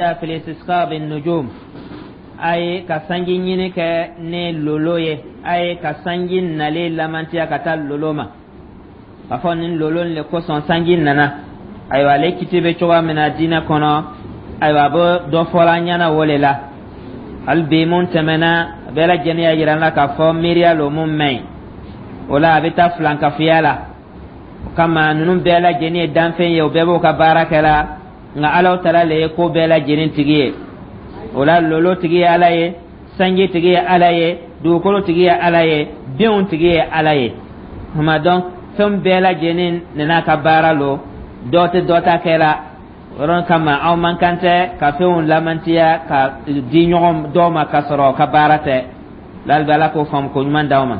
Fil istisqa bin nujum, ayi, ka sanji ɲini kɛ ni lolo ye, ayi, ka sanji nalen lamantiya ka taa lolo ma, k'a fɔ nin lolo le kosɔn sanji nana. Ayiwa, ale kiti bɛ cogoya min na diinɛ kɔnɔ, ayiwa, a bɛ dɔ fɔla an ɲɛna o le la. Hali bi mun tɛmɛna, bɛɛ lajɛlen y'a yira n na k'a fɔ miiriya lo mun man ɲi. O la, a bɛ taa filankafoya la. O kama, ninnu bɛɛ lajɛlen ye danfɛn ye, o bɛɛ b'o ka baara kɛ la, nka Alahu Taala le ye ko bɛɛ lajɛlen tigi ye. O la, lolo tigi ye Ala ye, sanji tigi ye Ala ye, dugukolo tigi ye Ala ye, denw tigi ye Ala ye. Tuma donc, fɛn bɛɛ lajɛlen n'a ka baara lo, dɔ tɛ dɔ ta kɛ la. O yɔrɔ kama, aw man kan tɛ ka fɛnw lamantiya ka di ɲɔgɔn dɔw ma ka sɔrɔ ka baara tɛ. Lalibi, Ala k'o faamu ko ɲuman d'aw ma.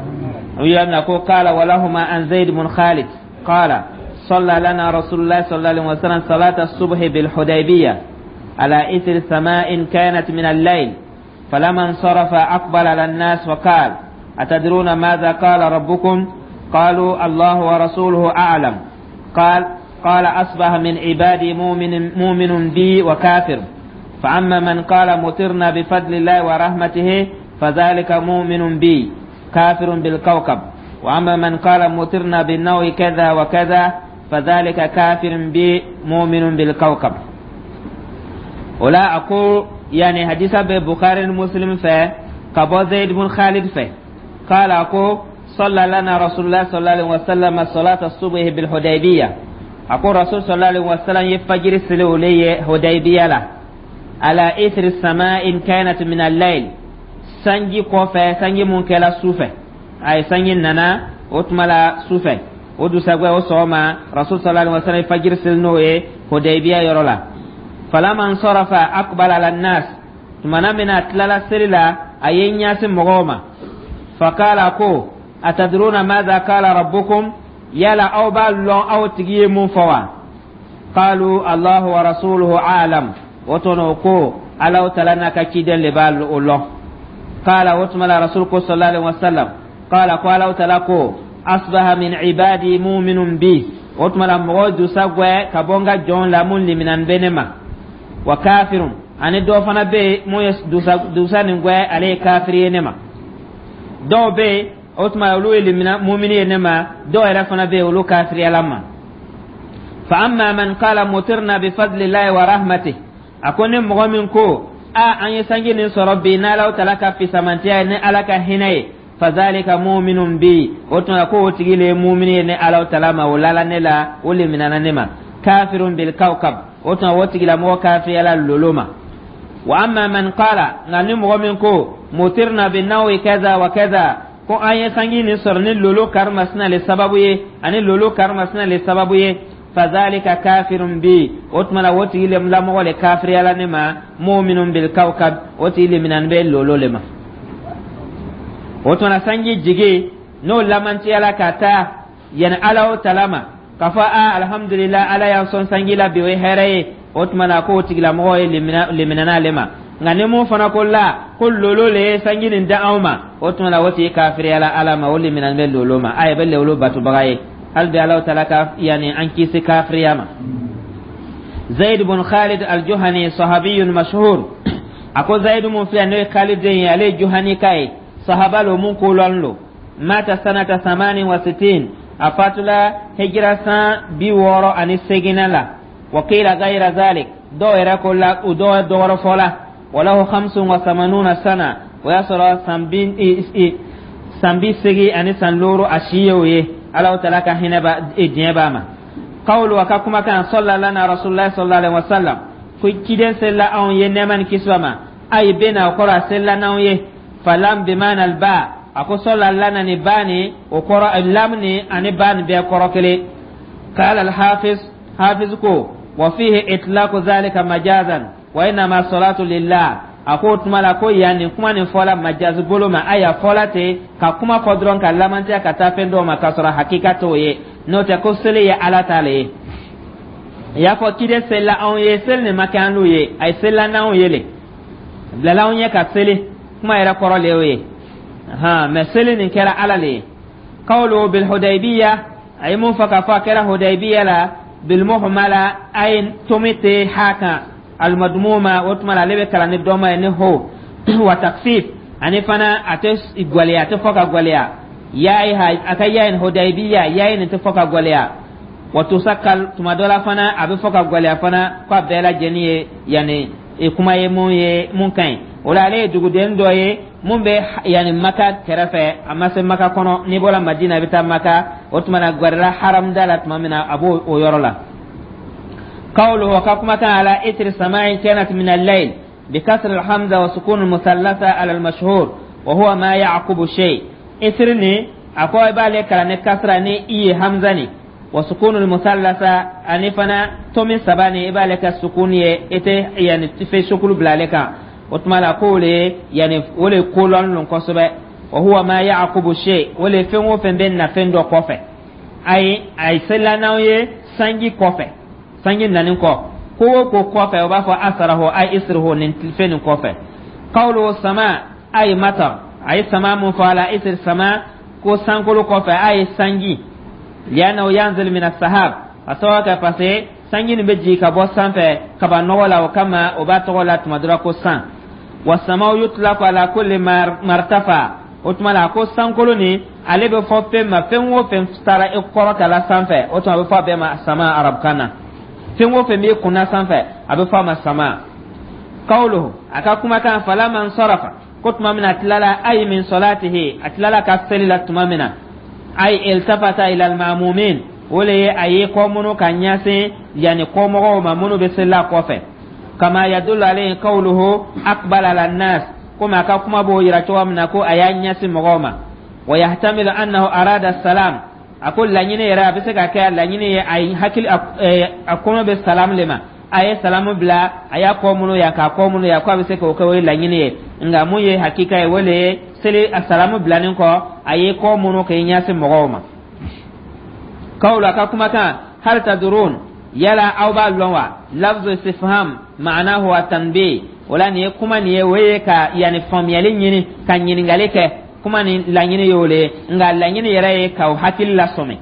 O y'a mina ko qala walahuma an Zayd bun Khalid qala صلى لنا رسول الله صلى الله عليه وسلم صلاة الصبح بالحديبية على إثر سماء كانت من الليل، فلما انصرف أقبل على الناس وقال: أتدرون ماذا قال ربكم؟ قالوا: الله ورسوله أعلم. قال: قال أصبح من عبادي مؤمن, مؤمن بي وكافر، فأما من قال مطرنا بفضل الله ورحمته فذلك مؤمن بي كافر بالكوكب، وأما من قال مطرنا بالنوع كذا وكذا فذلك كافر بي مؤمن بالكوكب. ولا أقول يعني حديث بخاري مسلم في كابو زيد بن خالد في قال أقول صلى لنا رسول الله صلى الله عليه وسلم صلاة الصبح بالحديبية. أقول رسول صلى الله عليه وسلم يفجر سلولي حديبية له على إثر السماء كانت من الليل، sanji kɔfɛ, sanji mun kɛla su fɛ. A ye sanji nana o tuma la su fɛ, o dusagwɛ, o sɔgɔma, Rasul sallallahu alaihi wasallam fajiri seli n'o ye Hudaybiya yɔrɔ la. Falama nsarafa aqbala ala nas, tumana min a tilala seli la, a ye ɲɛsin mɔgɔw ma. Fakala, ko: atadruna madha qala rabbukum? Yala aw b'a lɔn aw tigi ye mun fɔ wa? Qalu: Allahu wa rasuluhu a'lam. O tɔnɔ ko Alaw Tala n'a ka ciden le b'a o lɔn. Qala, o tuma la, Rasul ko sallallahu alaihi wasallam, qala, ko Alaw Tala ko: asbaha min ibadi mu'minun bi. O tuma la, mɔgɔ dusa gwɛ ka bɔ n ka jɔn la mun liminan bɛ ne ma, wa kafirun, ani dɔ fana bɛ yen mun ye dusa dusa nin gwɛ, ale ye kafiri ye ne ma. Dɔw bɛ yen, o tuma olu ye limina mumini ye ne ma, dɔw yɛrɛ fana bɛ yen, olu kafiriyala ma. Fa amma man qala mutirna bi fadlillahi wa rahmatih, a ko ni mɔgɔ min ko a an ye sanji nin sɔrɔ bi n'Alaw Tala ka fisamantiya ye, ni Ala ka hinɛ ye, fazalika muminun bi. O tuma ko o tigi le ye mumini ye ne Alaw Tala ma, o lala ne la, o leminana ne ma. Kafirun bil kawkab, o tuma o tigilamɔgɔ kafiriyala lolo ma. Wa amma man qala, nka ni mɔgɔ min ko mutirna bi nawi kaza wa kaza, ko an ye sanji nin sɔrɔ ni lolo karimasina le sababu ye, ani lolo karimasina le sababu ye, fazalika kafirun bi. O tuma la, o tigi lamɔgɔ le kafiriyala ne ma, muminun bil kawkab, o tigi leminan bɛ lolo le ma. O tuma na, sanji jigi n'o lamantiyala ka taa yani Ala o Tala ma, k'a fɔ a alhamdulillah, Ala y'an sɔn sanji la bi, o ye hɛrɛ ye. O tuma na, k'o tigilamɔgɔ ye liminana ale ma. Nka ni mun fana ko la ko lolo le ye sanji nin da anw ma, o tuma na o tigi kafiriyala Ala ma, o liminan bɛ lolo ma, a ye bɛ lolo batobaga ye. Hali bi, Ala Tala ka yani an kisi kafiriya ma. Zaid bin Khalid al-Juhani sahabiyun mashhur. A ko Zaid mun filɛ, n'o ye Khalid den ye, ale ye Juhani ka ye, sahaba lo mun kolɔn lo. Mata sanata 68, a fatula hijira san 68 la. Wa qila ghayra zalik, dɔw yɛrɛ ko la u dɔw dɔwɛrɛ fɔ la. Walahu 85 sana, o y'a sɔrɔ san 85 a si ye o ye. Alaw Tala ka hinɛ ba diɲɛ b'a ma. Qawlu, a ka kumakan, salla lana rasulullah sallallahu alaihi wasallam, ko ciden selila anw ye, nɛɛma ni kisi ma. Ayi bena, o kɔrɔ a selila n'anw ye. Falam bimana alba, a ko salla lana ni ba ni o kɔrɔ, lam ni ani ba ni bɛɛ kɔrɔ kelen. Qala alhafiz, hafiz ko: wa fihi itlaqu zalika majazan wa innama salatu lillah. A ko o tuma la ko yan nin kuma nin fɔla majazi bolo ma, ayiwa, fɔla ten ka kuma fɔ dɔrɔn ka lamantiya ka taa fɛn dɔw ma, k'a sɔrɔ hakika t'o ye. N'o tɛ, ko seli ye Ala ta le ye. I y'a fɔ ciden selila anw ye, seli nin ma kɛ an n'u ye, a ye selila n'anw ye le, bilala anw ye ka seli, kuma yɛrɛ kɔrɔ le y'o ye han. Mɛ seli nin kɛra Ala le ye. Qawlu bil Hudaybiya, a ye mun fɔ k'a fɔ a kɛra Hudaybiya la, bil muhmala, a ye tomi tɛ ha kan. Almadmuma, o tuma la ale bɛ kalan ni dɔma ye ni ho wa takfif, ani fana a tɛ gwɛlɛya, a tɛ fɔ ka gwɛlɛya. Yayi ha a ka yayi Hudaybiya, yayi nin tɛ fɔ ka gwɛlɛya. Wa tusakkal, tuma dɔ la fana a bɛ fɔ ka gwɛlɛya fana. Ko a bɛɛ lajɛlen ye yanni kuma ye mun ye mun ka ɲi. O la ale ye duguden dɔ ye mun bɛ yanni Maka kɛrɛfɛ, a ma se Maka kɔnɔ. N'i bɔra Madina, i bɛ taa Maka, o tuma na gwɛrɛla haramda la tuma min na, a b'o o yɔrɔ la. قوله كما كان على إثر سماع كانت من الليل، بكسر الهمزة وسكون المثلثة على المشهور، وهو ما يعقب شيء. إثرني أقوى بالك كان كسر ني إي همزة وسكون المثلثة أني فنا تومي سباني إبالك السكون إتي يعني في شكل بلالك وتما قولي يعني ولي كولون لنكسبه. وهو ما يعقب شيء، ولي فين وفين بين فين دو كوفه أي أي سلاناوي sanji kɔfɛ, sanji nani kɔ, ko o ko kɔfɛ, o b'a fɔ asarahu ay isrihu, nin fɛn nin kɔfɛ. Qawlu sama ay matar, a ye sama mun fɔ a la isri sama, ko sankolo kɔfɛ, a ye sanji. Li'annahu yanzil min as-sahab, a sababu kɛ parce que sanji nin bɛ jigin ka bɔ sanfɛ kaba nɔgɔ la, o kama o b'a tɔgɔ la tuma dɔ la ko san. Wa samaw yutlaqu ala kulli martafa, o tuma la a ko sankolo nin, ale bɛ fɔ fɛn ma, fɛn o fɛn taara i kɔrɔta la sanfɛ, o tuma a bɛ fɔ a bɛɛ ma sama arabukan na. Fɛn o fɛn b'i kunna sanfɛ, a bɛ fɔ a ma sama. Kawuluhu, a ka kumakan, falama nsarafa, ko tuma min na a tilala, ayi min salatihi, a tilala ka seli la tuma min na, ayi iltafata ila almamumin, o le ye a ye kɔ minnu ka ɲɛsin yanni kɔmɔgɔw ma minnu bɛ seli la kɔfɛ. Kama yadullu alayhi qawluhu aqbala ala nas, komi a ka kuma b'o yira cogo min na ko a y'a ɲɛsin mɔgɔw ma. Wa yahtamilu annahu arada salam, a ko laɲini yɛrɛ, a bɛ se ka kɛ laɲini ye a ye hakili a kɔnɔ bɛ salam le ma, a ye salamu bila, a y'a kɔ minnu yan k'a kɔ minnu yan, ko a bɛ se k'o kɛ, o ye laɲini ye. Nka mun ye hakika ye, o le ye seli a salamu bilanin kɔ, a ye kɔ minnu k'i ɲɛsin mɔgɔw ma. Kawulu, a ka kumakan, hal tadurun, yala aw b'a lɔn wa? Lafzu istifham ma'anahu at-tanbih. O la nin ye kuma nin ye, o ye ka yanni faamuyali ɲini ka ɲininkali kɛ. Kuma nin laɲini y'o le ye, nka laɲini yɛrɛ ye k'aw hakili lasɔmi.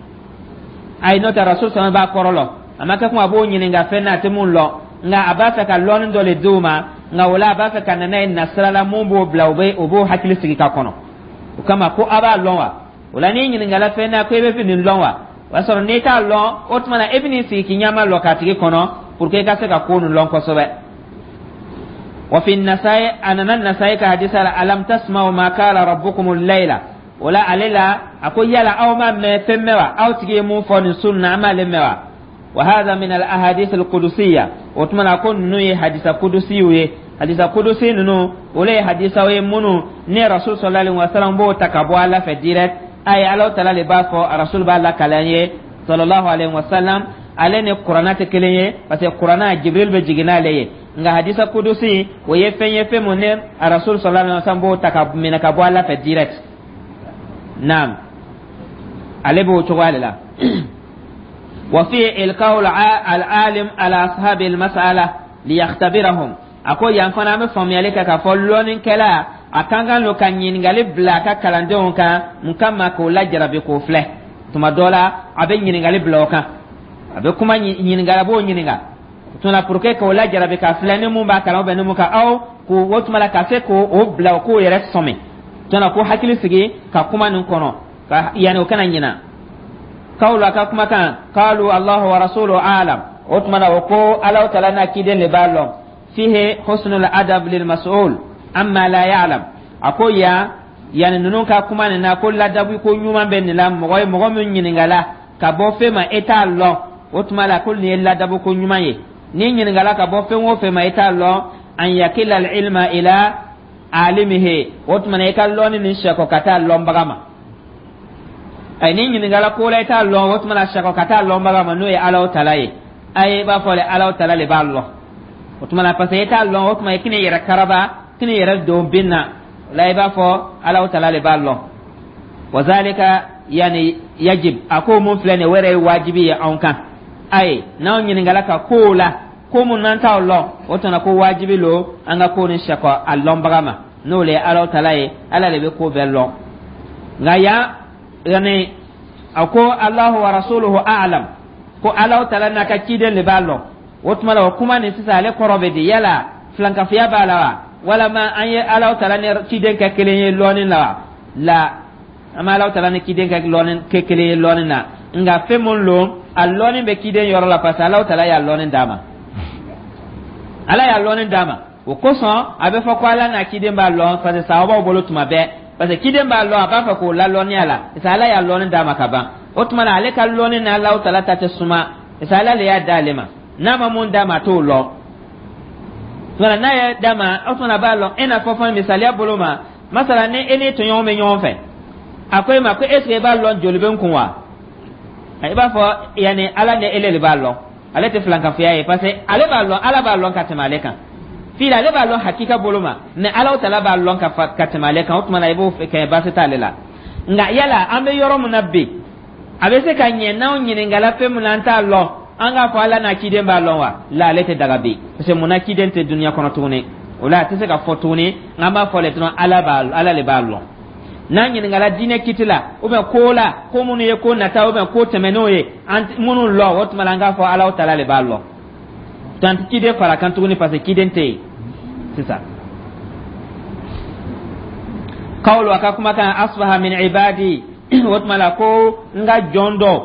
Ayi, n'o tɛ rasul sɔrɔ b'a kɔrɔ lɔ, a ma kɛ kuma a b'o ɲininka fɛn na, a tɛ mun lɔn, nka a b'a fɛ ka lɔnni dɔ le d'u ma. Nka o la a b'a fɛ ka na n'a ye nasira la mun b'o bila, o bɛ o b'o hakili sigi ka kɔnɔ. O kama ko a b'a lɔn wa? O la n'i ɲininkala fɛn na ko e bɛ fɛ nin lɔn wa, o y'a sɔrɔ n'i t'a lɔn, o tuma na e bɛ n'i sigi k'i ɲɛma lɔ k'a tigi kɔnɔ pour que i ka se ka ko nin lɔn kosɛbɛ. وفي النسائي أنا النسائي كحديث ألم تسمعوا ما قال ربكم الليلة. ولا عليلا أقول يلا أو ما مفهموا أو تجي مو فون سنة ما لموا. وهذا من الأحاديث القدسية، وتمنى أكون نوي حديث قدسي وي حديث قدسي نو ولا حديث وي منو ني رسول صلى الله عليه وسلم بو تكبو على في direct أي الله تعالى لبافو رسول بالله كلامه صلى الله عليه وسلم. Ale ni Kuranna tɛ kelen ye, parce que Kuranna Jibril bɛ jigin n'ale ye, nka hadisa kudusi, o ye fɛn ye, fɛn mun ne a rasul sallallahu alaihi wasallam b'o ta ka minɛ ka bɔ Ala fɛ direct. Naam, ale b'o cogoya de la. وفي إلقاء العالم على أصحاب المسألة ليختبرهم. A ko yan fana an bɛ faamuyali kɛ k'a fɔ lɔnnikɛla a kan kan lo ka ɲininkali bila a ka kalandenw kan. Mun kama? K'o lajarabi, k'o filɛ. Tuma dɔ la a bɛ ɲininkali bila o kan, a bɛ kuma ɲininkali, a b'o ɲininka tuma la pour que k'o lajarabi k'a filɛ ni mun b'a kalan ou ni mun ka aw k'o o tuma la ka se k'o o bila o k'o yɛrɛ sɔmi tuma la, k'o hakili sigi ka kuma nin kɔnɔ ka yanni o kana ɲina. Kawlu, a ka kumakan, qalu Allahu wa rasuluhu a'lam, o tuma na o ko Alahu Taala n'a ciden de b'a lɔn. Fihi husnul adab lil mas'ul amma la ya'lam. A ko yan yanni ninnu ka kuma nin na, ko ladabu ko ɲuman bɛ nin la. Mɔgɔ ye mɔgɔ min ɲininkala ka bɔ fɛn ma e t'a lɔn, o tuma la ko nin ye ladabu ko ɲuman ye. N'i ɲininkala ka bɔ fɛn o fɛn ma e t'a lɔn, an yakila al ilma ila alimihi, o tuma na i ka lɔnni nin sɛkɔ ka taa lɔnbaga ma. Ayi, n'i ɲininkala ko la i t'a lɔn, o tuma na sɛkɔ ka taa lɔnbaga ma, n'o ye Alahu Taala ye. Ayi, i b'a fɔ de Alahu Taala de b'a lɔn. O tuma na parce que i t'a lɔn, o tuma i k'i yɛrɛ karaba, k'i yɛrɛ don bin na. O la i b'a fɔ Alahu Taala de b'a lɔn. Wazalika yani yajib, a ko mun filɛ nin ye, o yɛrɛ ye wajibi ye anw kan. Ayi, n'anw ɲininkala ka kow la, ko mun n'an t'aw lɔn, o tuma ko wajibi lo an ka ko ni sɛkɔ a lɔnbaga ma, n'o le ye Alahu Taala ye. Ala de bɛ ko bɛɛ lɔn. Nka yan yani a ko Allahu wa rasuluhu a'lam, ko Alahu Taala n'a ka ciden de b'a lɔn. O tuma la, o kuma nin sisan, ale kɔrɔ bɛ di? Yala filankafoya b'a la wa, walama an ye Alaw Tala ni ciden kɛ kelen ye lɔɔni la wa? La, an ma Alaw Tala ni ciden kɛ lɔɔni kɛ kelen ye lɔɔni na. Nka fɛn mun lo, a lɔɔni bɛ ciden yɔrɔ la, parce que Alaw Tala y'a lɔɔni d'a ma, Ala y'a lɔɔni d'a ma. O kosɔn a bɛ fɔ ko Ala n'a ciden b'a lɔn, parce que sababaw bolo tuma bɛɛ, parce que ciden b'a lɔn, a b'a fɛ k'o lalɔnniya la, parce que Ala y'a lɔɔni d'a ma ka ban. O tuma na, ale ka lɔnni ni Alaw Tala ta tɛ suma, parce que Ala le y'a d'ale ma. N'a ma mun d'a ma, a t'o lɔn. Tuma n'a y'a d'a ma, o tuma a b'a lɔn. E n'a fɔ fana, misaliya bolo ma, masala ni e n'i tɔɲɔgɔn bɛ ɲɔgɔn fɛ, a ko e ma ko: est ce que i b'a lɔn joli bɛ n kun wa? I b'a fɔ yanni Ala ni ele de b'a lɔn. Ale tɛ filankafoya ye, parce que ale b'a lɔn, Ala b'a lɔn ka tɛmɛ ale kan. Fili, ale b'a lɔn hakika bolo ma, mais Ala Tala b'a lɔn ka tɛmɛ ale kan. O tuma na, i b'o kɛ, baasi t'ale la. Nka yala an bɛ yɔrɔ min na bi, a bɛ se ka ɲɛ n'anw ɲininkala fɛn min na, an t'a lɔn, an k'a fɔ Ala n'a ciden b'a lɔn wa? La, ale tɛ daga bi, parce que munna? Ciden tɛ dunuya kɔnɔ tuguni. O la, a tɛ se ka fɔ tuguni. An b'a fɔ le dɔrɔn, Ala le b'a lɔn. N'an ɲininkala diinɛ kiti la ou bien ko la, ko minnu ye ko nata ou bien ko tɛmɛnenw ye, an minnu lɔn, o tuma la, an k'a fɔ Ala Tala le b'a lɔn. Tan tɛ ciden fara kan tuguni, parce que ciden tɛ yen sisan. Kawlu, a ka kumakan, asbaha min ibadi, o tuma la ko n ka jɔn dɔ,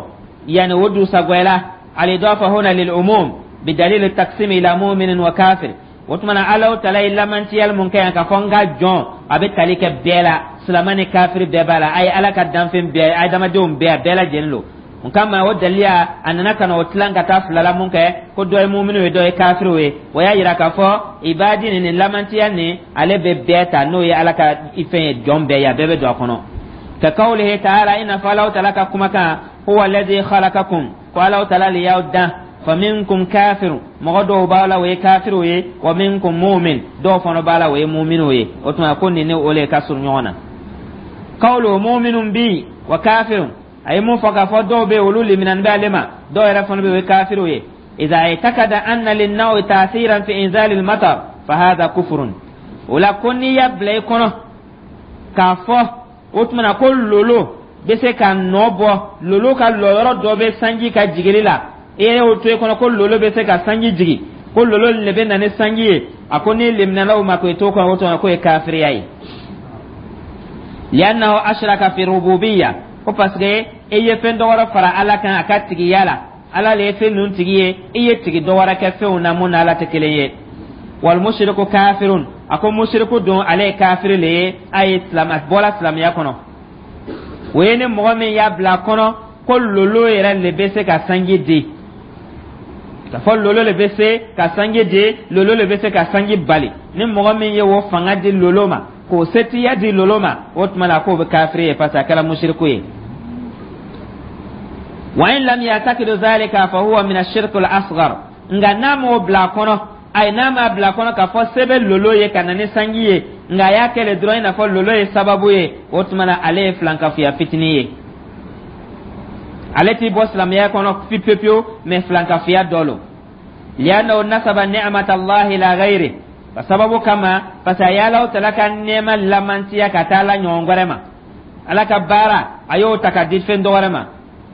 yani o dusagwɛla. Alidafa huna lil umum bidalil taqsim ila muminin wa kafir. O tuma na, Ala Tala ye lamantiyali mun kɛ yan k'a fɔ n ka jɔn, a bɛ tali kɛ bɛɛ la, silama ni kafiri bɛɛ b'a la. A ye Ala ka danfɛn bɛɛ, adamadenw bɛɛ, a bɛɛ lajɛlen lo. O kama, o daliya, a nana ka na o tilan ka taa fila la mun kɛ, ko dɔ ye muminu ye, dɔ ye kafiriw ye. O y'a yira k'a fɔ ibadi nin, nin lamantiya nin, ale bɛ bɛɛ ta, n'o ye Ala ka fɛn ye, jɔn bɛɛ ye, a bɛɛ bɛ don a kɔnɔ. Ka kawlihi taala, i n'a fɔ Alahu Taala ka kumakan, huwa alladhi khalaqakum, ko Alahu Taala le y'aw dan, faminkum kafirun, mɔgɔ dɔw b'a la, o ye kafiriw ye, wa minkum mu'min, dɔw fana b'a la, o ye mu'miniw ye. O tuma ko nin ni o le ka surun ɲɔgɔn na. Kawlu mu'minun bi wa kafirun, a ye mun fɔ k'a fɔ dɔw bɛ yen, olu liminani bɛ ale ma, dɔw yɛrɛ fana bɛ yen, o ye kafiriw ye. Idha i'taqada anna lin-nawi ta'thiran fi inzali al-matar fa hadha kufrun. O la, ko n'i y'a bila i kɔnɔ k'a fɔ o tuma na ko lolo bɛ se ka nɔ bɔ, lolo ka lɔyɔrɔ dɔ bɛ sanji ka jigili la, e y'o to i kɔnɔ ko lolo bɛ se ka sanji jigi, ko lolo le bɛ na ni sanji ye, a ko n'i liminala o ma k'o to kɔnɔ, o tuma k'o ye kafiriya ye. Li'annahu ashraka fi rububiyya, ko parce que e ye fɛn dɔ wɛrɛ fara Ala kan a ka tigiya la. Ala le ye fɛn ninnu tigi ye, i ye tigi dɔ wɛrɛ kɛ fɛnw na mun na Ala tɛ kelen ye. Wal mushriku kafirun, a ko mushriku don, ale ye kafiri le ye, a ye silamɛ bɔla silamɛya kɔnɔ. O ye ni mɔgɔ min y'a bila a kɔnɔ ko lolo yɛrɛ le bɛ se ka sanji di, ka fɔ lolo le bɛ se ka sanji di, lolo le bɛ se ka sanji bali, ni mɔgɔ min ye o fanga di lolo ma, k'o setiya di lolo ma, o tuma la k'o bɛ kafiri ye, parce que a kɛra mushriku ye. Wa in lam ya'taqidu zalika fa huwa min ash-shirk al-asghar. Nka n'a m'o bila a kɔnɔ, ayi, n'a m'a bila a kɔnɔ k'a fɔ se bɛ lolo ye ka na ni sanji ye, nka a y'a kɛ le dɔrɔn i n'a fɔ lolo ye sababu ye, o tuma na, ale ye filankafoya fitinin ye. Ale t'i bɔ silamɛya kɔnɔ pewu pewu, mais filankafoya dɔ lo. Li'annahu nasaba ni'mata Allahi ila ghayri, ka sababu kama, parce que a ye Alahu Tala ka nɛɛma lamantiya ka taa Ala ɲɔgɔn wɛrɛ ma. Ala ka baara, a y'o ta ka di fɛn dɔ wɛrɛ ma.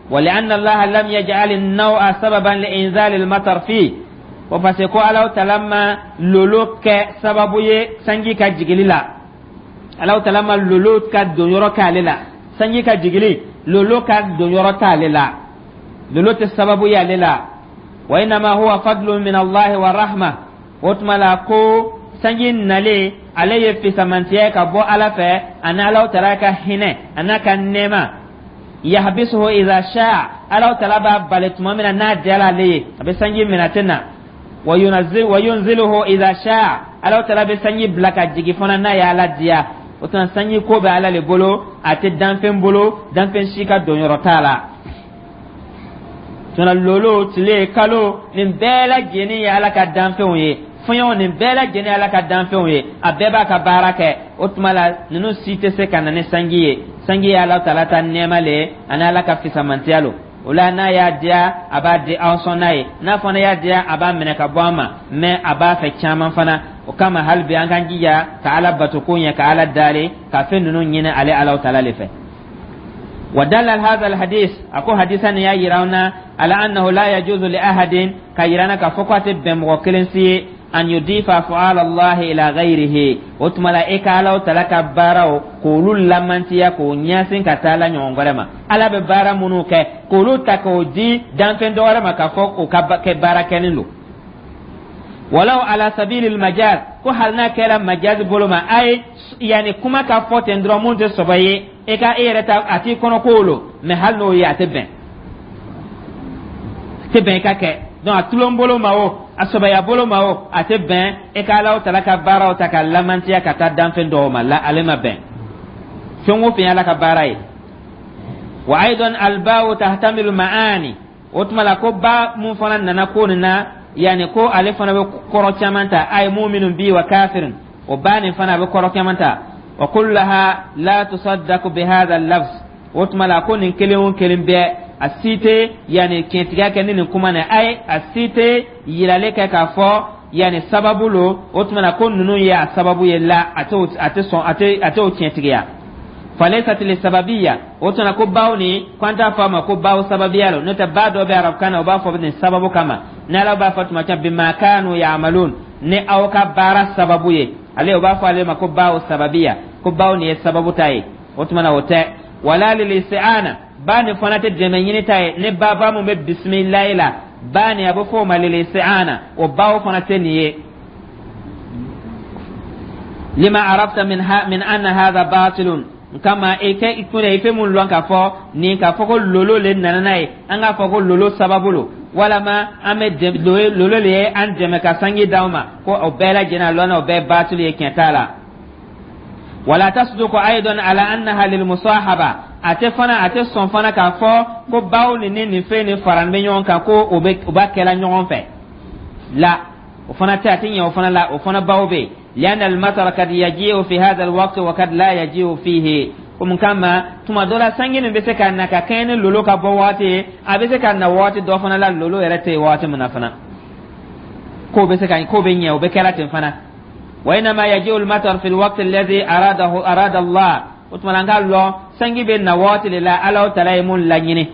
ولأن الله لم يجعل النوء سببا لإنزال المطر فيه, ko parce que ko Alahu Tala ma lolo kɛ sababu ye sanji ka jigili la. Alahu Tala ma lolo ka donyɔrɔ k'ale la sanji ka jigili, lolo ka donyɔrɔ t'ale la, lolo tɛ sababu ye ale la. Wa innama huwa fadlun min Allahi wa rahma. O tuma la, ko sanji nalen, ale ye fisamantiya ka bɔ Ala fɛ ani Alahu Tala ka hinɛ a n'a ka nɛɛma. Yahbisuhu idha sha'a, Alahu Tala b'a bali tuma min na n'a diyara ale ye, a bɛ sanji minɛ, a tɛ na. Wa yunazil wa yunziluhu idha sha'a, Alahu Tala bɛ sanji bila ka jigin fana n'a ye Ala diya. O tuma, sanji ko bɛ Ala le bolo, a tɛ danfɛn bolo, danfɛn si ka donyɔrɔ t'a la. Tuma lolo, tile, kalo, nin bɛɛ lajɛlen ye Ala ka danfɛnw ye. Fɛnw nin bɛɛ lajɛlen ye Ala ka danfɛnw ye, a bɛɛ b'a ka baara kɛ. O tuma la, ninnu si tɛ se ka na ni sanji ye. Sanji ye Ala Tala ta nɛɛma le ye ani Ala ka fisamantiya lo. O la, n'a y'a diya, a b'a di aw sɔn n'a ye, n'a fana y'a diya, a b'a minɛ ka bɔ an ma, mais a b'a fɛ caman fana. O kama, hali bi an k'an jija ka Ala bato ko ɲɛ, ka Ala dali, ka fɛn ninnu ɲini ale Ala Tala le fɛ. Wa dalla hadha alhadith, ako hadisa ni y'a yira an na. Ala annahu la yajuzu li ahadin, ka yira na k'a fɔ ko a tɛ bɛn mɔgɔ kelen si ye, an yudifa afu'ala Allahi ila ghayrihi. O tuma la, e ka Alaw tala ka baaraw k'olu lamantiya, k'o ɲɛsin ka taa la ɲɔgɔn wɛrɛ ma. Ala bɛ baara minnu kɛ, k'olu ta k'o di danfɛn dɔ wɛrɛ ma, k'a fɔ o ka kɛ baara kɛlen don, walaw ala sabilil majaz, ko hali n'a kɛra majazi bolo ma, a ye yanni kuma ka fɔ ten dɔrɔn, mun tɛ sɔbɛ ye, e ka e yɛrɛ ta a t'i kɔnɔ ko lo, mɛ hali n'o ye, a tɛ bɛn, a tɛ bɛn i ka kɛ. Donc a tulon bolo ma o, a sɔbɛya bolo ma o, a tɛ bɛn e ka Alaw tala ka baaraw ta ka lamantiya ka taa danfɛn dɔw ma la, ale ma bɛn. Fɛn o fɛn ye Ala ka baara ye. Wa aidan albawu tahtamilu maani. O tuma la, ko ba mun fana nana ko nin na, yanni ko ale fana bɛ kɔrɔ caman ta, a ye muminun bi wa kafirin, o ba nin fana a bɛ kɔrɔ caman ta. Wa kullaha la tusaddaqu bi hadha al-lafz. O tuma la, ko nin kelen o kelen bɛɛ, a si tɛ yanni tiɲɛtigiya kɛ ni nin kuma nin a ye, a si tɛ yiralen kɛ k'a fɔ yanni sababu lo. O tuma la, ko ninnu ye a sababu ye la, a tɛ a tɛ sɔn, a tɛ o tiɲɛtigiya. Falaysat li sababiya. O tuma ko baw ni ko an t'a fɔ a ma ko baw sababiya lo, n'o tɛ ba dɔ bɛ arabukan na, o b'a fɔ nin sababu kama. Ni Ala b'a fɔ tuma caman bima kanu ya'malun, ni aw ka baara sababu ye, ale o b'a fɔ ale ma ko baw sababiya, ko baw nin ye sababu ta ye. O tuma na, o tɛ. Wala lil isti'ana, ba nin fana tɛ dɛmɛ ɲini ta ye. Ni ba ba mun bɛ bisimilayi la, ba nin a bɛ fɔ o ma lil isti'ana, o baw fana tɛ nin ye. Lima arafta min ha min anna hadha batilun kama i kɛ i kun i fɛn mun lɔn k'a fɔ nin, k'a fɔ ko lolo le nana n'a ye, an k'a fɔ ko lolo sababu lo, walama an bɛ lolo le ye an dɛmɛ ka sanji d'aw ma, ko o bɛɛ lajɛlen a lɔnna, o bɛɛ batili ye, tiɲɛ t'a la. Wala tasduqu aidan ala annaha lil musahaba. A tɛ fana, a tɛ sɔn fana k'a fɔ ko baw ni nin fɛn nin faralen bɛ ɲɔgɔn kan, ko o bɛ o b'a kɛla ɲɔgɔn fɛ la, o fana tɛ, a tɛ ɲɛ o fana la, o fana baw bɛ yen. Lianna almatara kad yaji'u fi hadha alwaqt wa kad la yaji'u fihi. Ko mun kama, tuma dɔ la sanji nin bɛ se ka na ka kɛɲɛ ni lolo ka bɔ waati ye, a bɛ se ka na waati dɔ fana la, lolo yɛrɛ tɛ yen waati min na fana, k'o bɛ se ka k'o bɛ ɲɛ, o bɛ kɛra ten fana. Wa innama yaji'u almatar fi alwaqt alladhi aradahu arada Allah. O tuma la, an k'a lɔn sanji bɛ na waati de la Ala tala ye mun laɲini,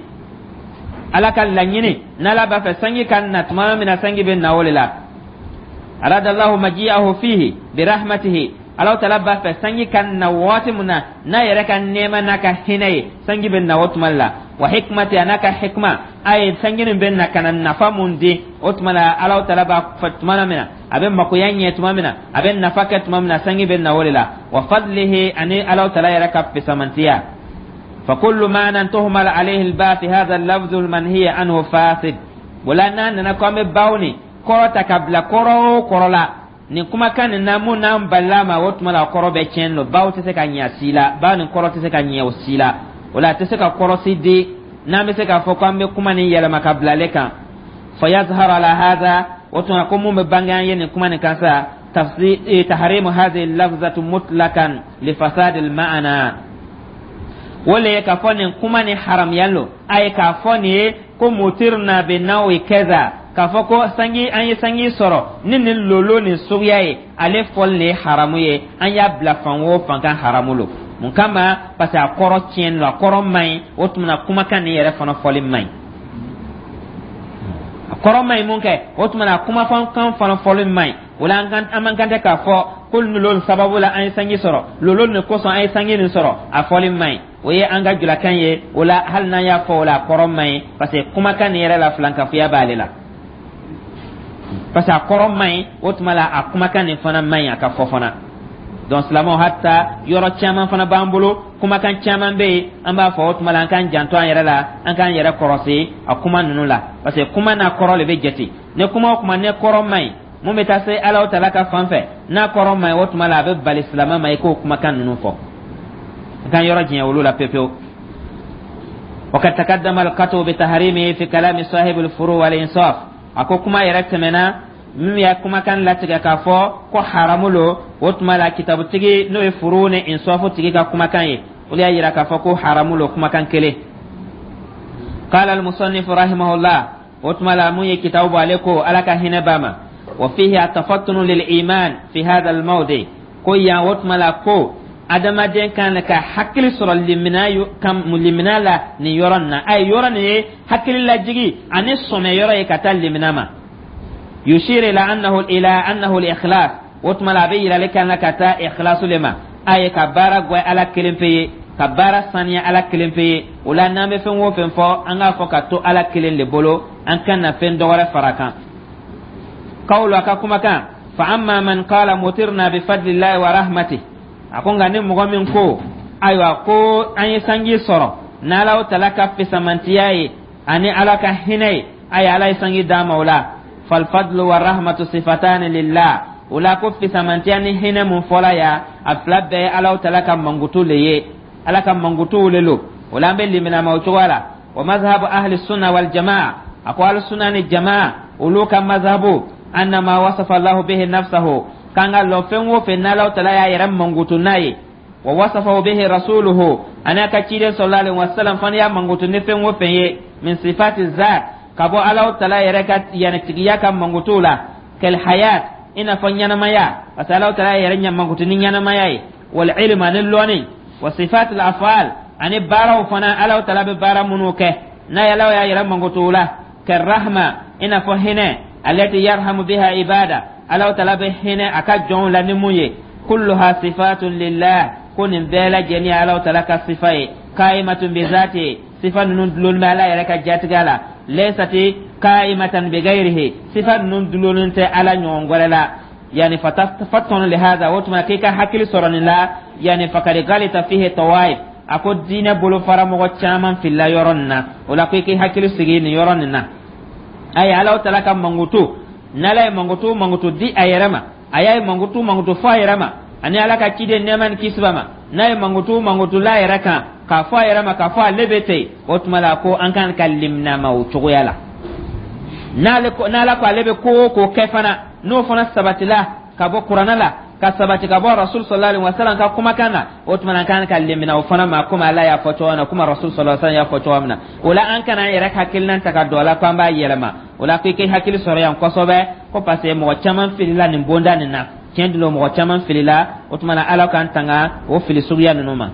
Ala ka laɲini. N'Ala b'a fɛ sanji ka na tuma min na, sanji bɛ na o de la. Arada Allahu maji'ahu fihi bi rahmatihi. Ala tala b'a fɛ sanji ka na waati min na n'a yɛrɛ ka nɛɛma n'a ka hinɛ ye, sanji bɛ na o tuma la. Wa hikmati, a n'a ka hikma, a ye sanji nin bɛ na ka na nafa mun di. O tuma la, Ala tala b'a fɛ tuma min na a bɛ makoya ɲɛ, tuma min na a bɛ nafa kɛ, tuma min na sanji bɛ na o de la. Wa fadlihi, ani Ala tala yɛrɛ ka fisamantiya. Fa kullu ma'nan tuhmal alayhi al-ba fi hadha al-lafz al-manhiy anhu fasid. Wala n'a nana ko an bɛ baw ni kɔrɔ ta ka bila kɔrɔ o kɔrɔ la nin kumakan nin na, mun n'an balila ma, o tuma la a kɔrɔ bɛ tiɲɛ don. Baw tɛ se ka ɲɛ si la, baw nin kɔrɔ tɛ se ka ɲɛ o si la, o la a tɛ se ka kɔrɔ si di n'an bɛ se k'a fɔ k'an bɛ kuma nin yɛlɛma ka bila ale kan. Fa yazharu ala hadha. O tuma ko mun bɛ bange an ye nin kuma nin kan sa, tafsir tahrimu hadhihi lafzatu mutlakan li fasad al ma'ana, o le ye k'a fɔ nin kuma nin haramuya lo. A ye k'a fɔ nin ye ko mutirna bi nawi kaza, k'a fɔ ko sanji, an ye sanji sɔrɔ ni nin lolo nin suguya ye, ale fɔli nin ye haramu ye. An y'a bila fan o fan kan, haramu lo. Mun kama? Parce que a kɔrɔ tiɲɛ lo, a kɔrɔ man ɲi. O tuma na, kumakan nin yɛrɛ fana fɔli man ɲi, a kɔrɔ man ɲi. Mun kɛ? O tuma na, kumakan fana fɔli man ɲi. O la, an man kan tɛ k'a fɔ ko lolo nin sababu la an ye sanji sɔrɔ, lolo nin kosɔn an ye sanji nin sɔrɔ, a fɔli man ɲi. O ye an ka julakan ye. O la, hali n'an y'a fɔ o la, a kɔrɔ man ɲi, parce que kumakan nin yɛrɛ la, filankafoya b'ale la, parce que a kɔrɔ man ɲi. O tuma la, a kumakan nin fana man ɲi a ka fɔ fana. Donc silamɛw, hata yɔrɔ caman fana b'an bolo, kumakan caman bɛ yen an b'a fɔ. O tuma la, an k'an janto an yɛrɛ la, an k'an yɛrɛ kɔrɔsi a kuma ninnu la, parce que kuma n'a kɔrɔ de bɛ jate. Ni kuma o kuma ne kɔrɔ man ɲi, mun bɛ taa se Ala tala ka fan fɛ, n'a kɔrɔ man ɲi, o tuma la a bɛ bali silamɛ ma i k'o kumakan ninnu fɔ. An k'an yɔrɔ janya olu la pewu pewu. وقد تقدم القطع بتحريمه في كلام صاحب الفروع والإنصاف. A ko kuma yɛrɛ tɛmɛna min y'a kumakan latigɛ k'a fɔ ko haramu lo. O tuma la, kitabutigi n'o ye furu ni insafu tigi ka kumakan ye, olu y'a yira k'a fɔ ko haramu lo, kumakan kelen. قال المصنف رحمه الله. O tuma la, mun ye kitabu bɔ, ale ko, Ala ka hinɛ b'a ma: وفيه التفطن للإيمان في هذا الموضع. Ko yan, o tuma la, ko Adamaden kan ka hakili sɔrɔ limina la nin yɔrɔ nin na. A ye yɔrɔ nin ye hakili lajigi ani sɔmɛ yɔrɔ ye ka taa limina ma. Yushir ila annahu al-ikhlas. O tuma la, a bɛ yirali kan na ka taa ikhlasu le ma. A ye ka baara gwɛ Ala kelen pe ye, ka baara saniya Ala kelen pe ye. O la, n'an bɛ fɛn o fɛn fɔ, an k'a fɔ ka to Ala kelen de bolo, an kan na fɛn dɔwɛrɛ fara kan. Qawlu, a ka kumakan, fa amma man qala mutirna bi fadlillahi wa rahmatihi. A ko nka ni mɔgɔ min ko, ayiwa, ko an ye sanji sɔrɔ n'Ala tala ka fisamantiya ye ani Ala ka hinɛ ye, ayi, Ala ye sanji d'an ma o la, falfadlu wa rahmatu sifatani lillah. O la, ko fisamantiya ni hinɛ mun fɔla ya, a fila bɛɛ ye Ala tala ka mankutu le ye, Ala ka mankutuw le lo. O la, an bɛ limina ma o cogoya la. Wa mazhabu ahli sunna wal jamaa, a ko ahli sunna ni jamaa olu ka mazhabu, anna ma wasafa Allahu bihi nafsahu, k'an ka lɔn fɛn o fɛn n'Ala tala y'a yɛrɛ mankutu n'a ye, wa wasafahu bihi rasuluhu, ani a ka ciden sallallahu alaihi wasallam fana y'a mankutu ni fɛn o fɛn ye, min sifati zat, ka bɔ Ala tala yɛrɛ ka yani tigiya ka mankutu la, kal hayat, i n'a fɔ ɲɛnamaya, parce que Ala tala yɛrɛ mankutu ni ɲɛnamaya ye, wal ilm, ani lɔnni, wa sifat al af'al, ani baaraw fana, Ala tala bɛ baara minnu kɛ n'a ye Ala y'a yɛrɛ mankutu la, karrahma, i n'a fɔ hinɛ, allati yarhamu biha ibada, Ala tala bɛ hinɛ a ka jɔnw la ni mun ye, kulluha sifatun lillah, ko nin bɛɛ lajɛlen ye Ala tala ka sifa ye, qaimatun bi zati, sifa ninnu dulon bɛ Ala yɛrɛ ka jatigɛ la, laysati qaimatan bi ghairihi, sifa ninnu dulonnen tɛ Ala ɲɔgɔn wɛrɛ la. Yani fatafаттanu lihada, o tuma k'i ka hakili sɔrɔ nin la. Yani fakad galita fihi tawaif, a ko diinɛ bolofara mɔgɔ caman filila yɔrɔ nin na. O la, ko i k'i hakili sigi nin yɔrɔ nin na. Ayi, Ala tala ka mankutu, n'Ala ye mankutu mankutu di a yɛrɛ ma, a y'a ye mankutu mankutu fɔ a yɛrɛ ma, ani Ala ka ciden nɛɛma ni kisi b'a ma, n'a ye mankutu mankutu la yɛrɛ kan k'a fɔ a yɛrɛ ma, k'a fɔ ale bɛ ten, o tuma la ko an kan ka limina ma o cogoya la. N'ale ko, n'Ala ko ale bɛ ko o ko kɛ fana, n'o fana sabatila ka bɔ Kuranɛ la, ka sabati ka bɔ Rasul sallallahu alaihi wasallam ka kumakan na, o tuma na an kan ka limina o fana ma, komi Ala y'a fɔ cogo min na, komi Rasul sallallahu alaihi wasallam y'a fɔ cogo min na. O la, an kana an yɛrɛ hakilina ta ka don a la ko an b'a yɛlɛma. O la, ko i k'i hakili sɔrɔ yan kosɛbɛ, ko parce que mɔgɔ caman filila nin bonda nin na. Tiɲɛ don, mɔgɔ caman filila. O tuma na, Ala k'an tanga o fili suguya ninnu ma.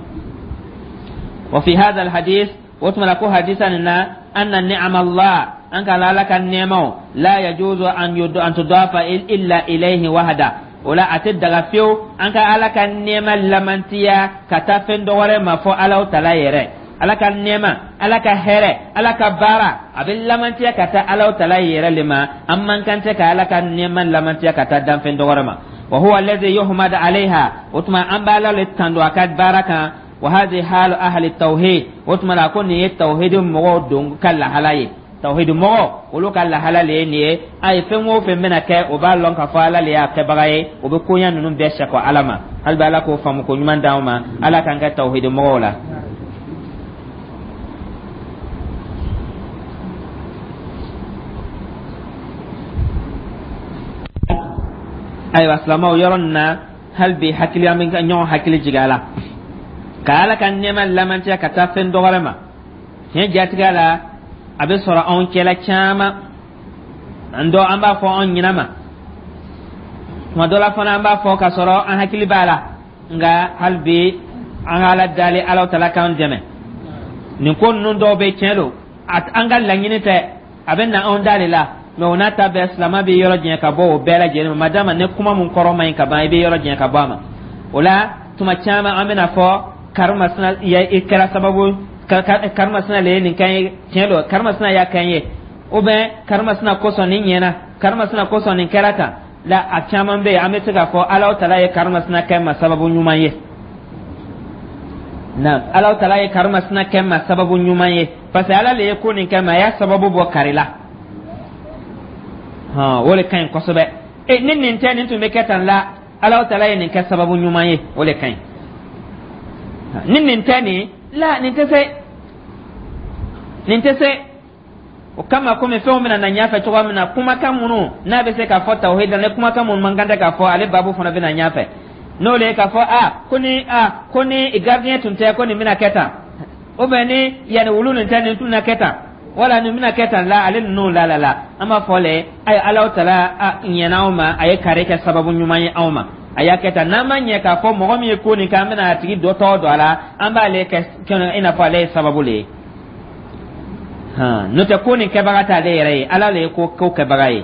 Wa fi hadha alhadith, o tuma na ko hadisa nin na, anna ni'ama Allah, an ka Ala ka nɛɛmaw, la yajuzu an tudafa illa ilayhi wahda. O la, a tɛ daga fiyewu an ka Ala ka nɛɛma lamantiya ka taa fɛn dɔ wɛrɛ ma fɔ Ala tala yɛrɛ. Ala ka nɛɛma, Ala ka hɛrɛ, Ala ka baara, a bɛ lamantiya ka taa Ala tala yɛrɛ le ma. An man kan tɛ ka Ala ka nɛɛma lamantiya ka taa danfɛn dɔ wɛrɛ ma. Wa huwa alladhi yuhmad alayha, o tuma an b'a le tando a ka baara kan. Wa hadhihi halu ahli tawhid, o tuma la ko nin ye tawhid mɔgɔw don ka lahala ye. Tawhid mɔgɔ olu ka lahala le ye nin ye. A ye fɛn o fɛn bɛna kɛ, o b'a lɔn k'a fɔ Ala le y'a kɛbaga ye, o bɛ koɲa ninnu bɛɛ sɛkɔ Ala ma. Hali bi, Ala k'o faamu ko ɲuman d'anw ma, Ala k'an kɛ tawhid mɔgɔw la. Ayiwa silamɛw, yɔrɔ nin na, hali bi hakili, an bɛ ɲɔgɔn hakili jigin a la ka Ala ka nɛɛma lamantiya ka taa fɛn dɔ wɛrɛ ma. Tiɲɛ jatigɛ la, a bɛ sɔrɔ anw cɛla caman, an dɔ an b'a fɔ anw ɲinɛ ma, tuma dɔ la fana an b'a fɔ k'a sɔrɔ an hakili b'a la. Nka hali bi, an ka Ala dali, Ala tala k'an dɛmɛ. Nin ko ninnu dɔw bɛ, tiɲɛ don, an ka laɲini tɛ, a bɛ na anw da de la. Mɛ o n'a ta bɛɛ, silamɛ bɛ yɔrɔ jɛn ka bɔ o bɛɛ lajɛlen ma. Madama ni kuma mun kɔrɔ man ɲi ka ban, i bɛ yɔrɔ jɛn ka bɔ a ma. O la, tuma caman an bɛna fɔ karimasina i kɛra sababu, karimasina le ye nin kan ye. Tiɲɛ don, karimasina y'a kan ye, ou bien karimasina kosɔn nin ɲɛna, karimasina kosɔn nin kɛra tan la. A caman bɛ yen, an bɛ se k'a fɔ Ala tala ye karimasina kɛ ma sababu ɲuman ye. Na Ala tala ye karimasina kɛ ma sababu ɲuman ye, parce que Ala le ye ko nin kɛ ma, a y'a sababu bɔ kari la. Hɔn, o de ka ɲi kosɛbɛ. E ni nin tɛ, nin tun bɛ kɛ tan la. Ala tala ye nin kɛ sababu ɲuman ye, o de ka ɲi. Ni nin tɛ nin la, nin tɛ se, nin tɛ se. O kama, komi fɛnw bɛna na ɲɛfɛ cogoya min na, kumakan minnu n'a bɛ se k'a fɔ tawhid la, ni kumakan minnu man kan tɛ k'a fɔ, ale baabu fana bɛna ɲɛfɛ. N'o le ye k'a fɔ a ko ni gardien tun tɛ, ko nin bɛna kɛ tan, ou bien ni yanni wulu nin tɛ, nin tun bɛna kɛ tan, wala nin bɛna kɛ tan la, ale ninnu la la la, an b'a fɔ le ayi, Ala tala a ɲɛna anw ma, a ye kari kɛ sababu ɲuman ye anw ma. A y'a kɛ tan, n'an ma ɲɛ k'a fɔ mɔgɔ min ye ko nin kɛ, an bɛna a tigi dɔ tɔgɔ don a la, an b'ale kɛ i n'a fɔ ale ye sababu le ye. N'o tɛ, ko nin kɛbaga t'ale yɛrɛ ye, Ala le ye ko kɛbaga ye.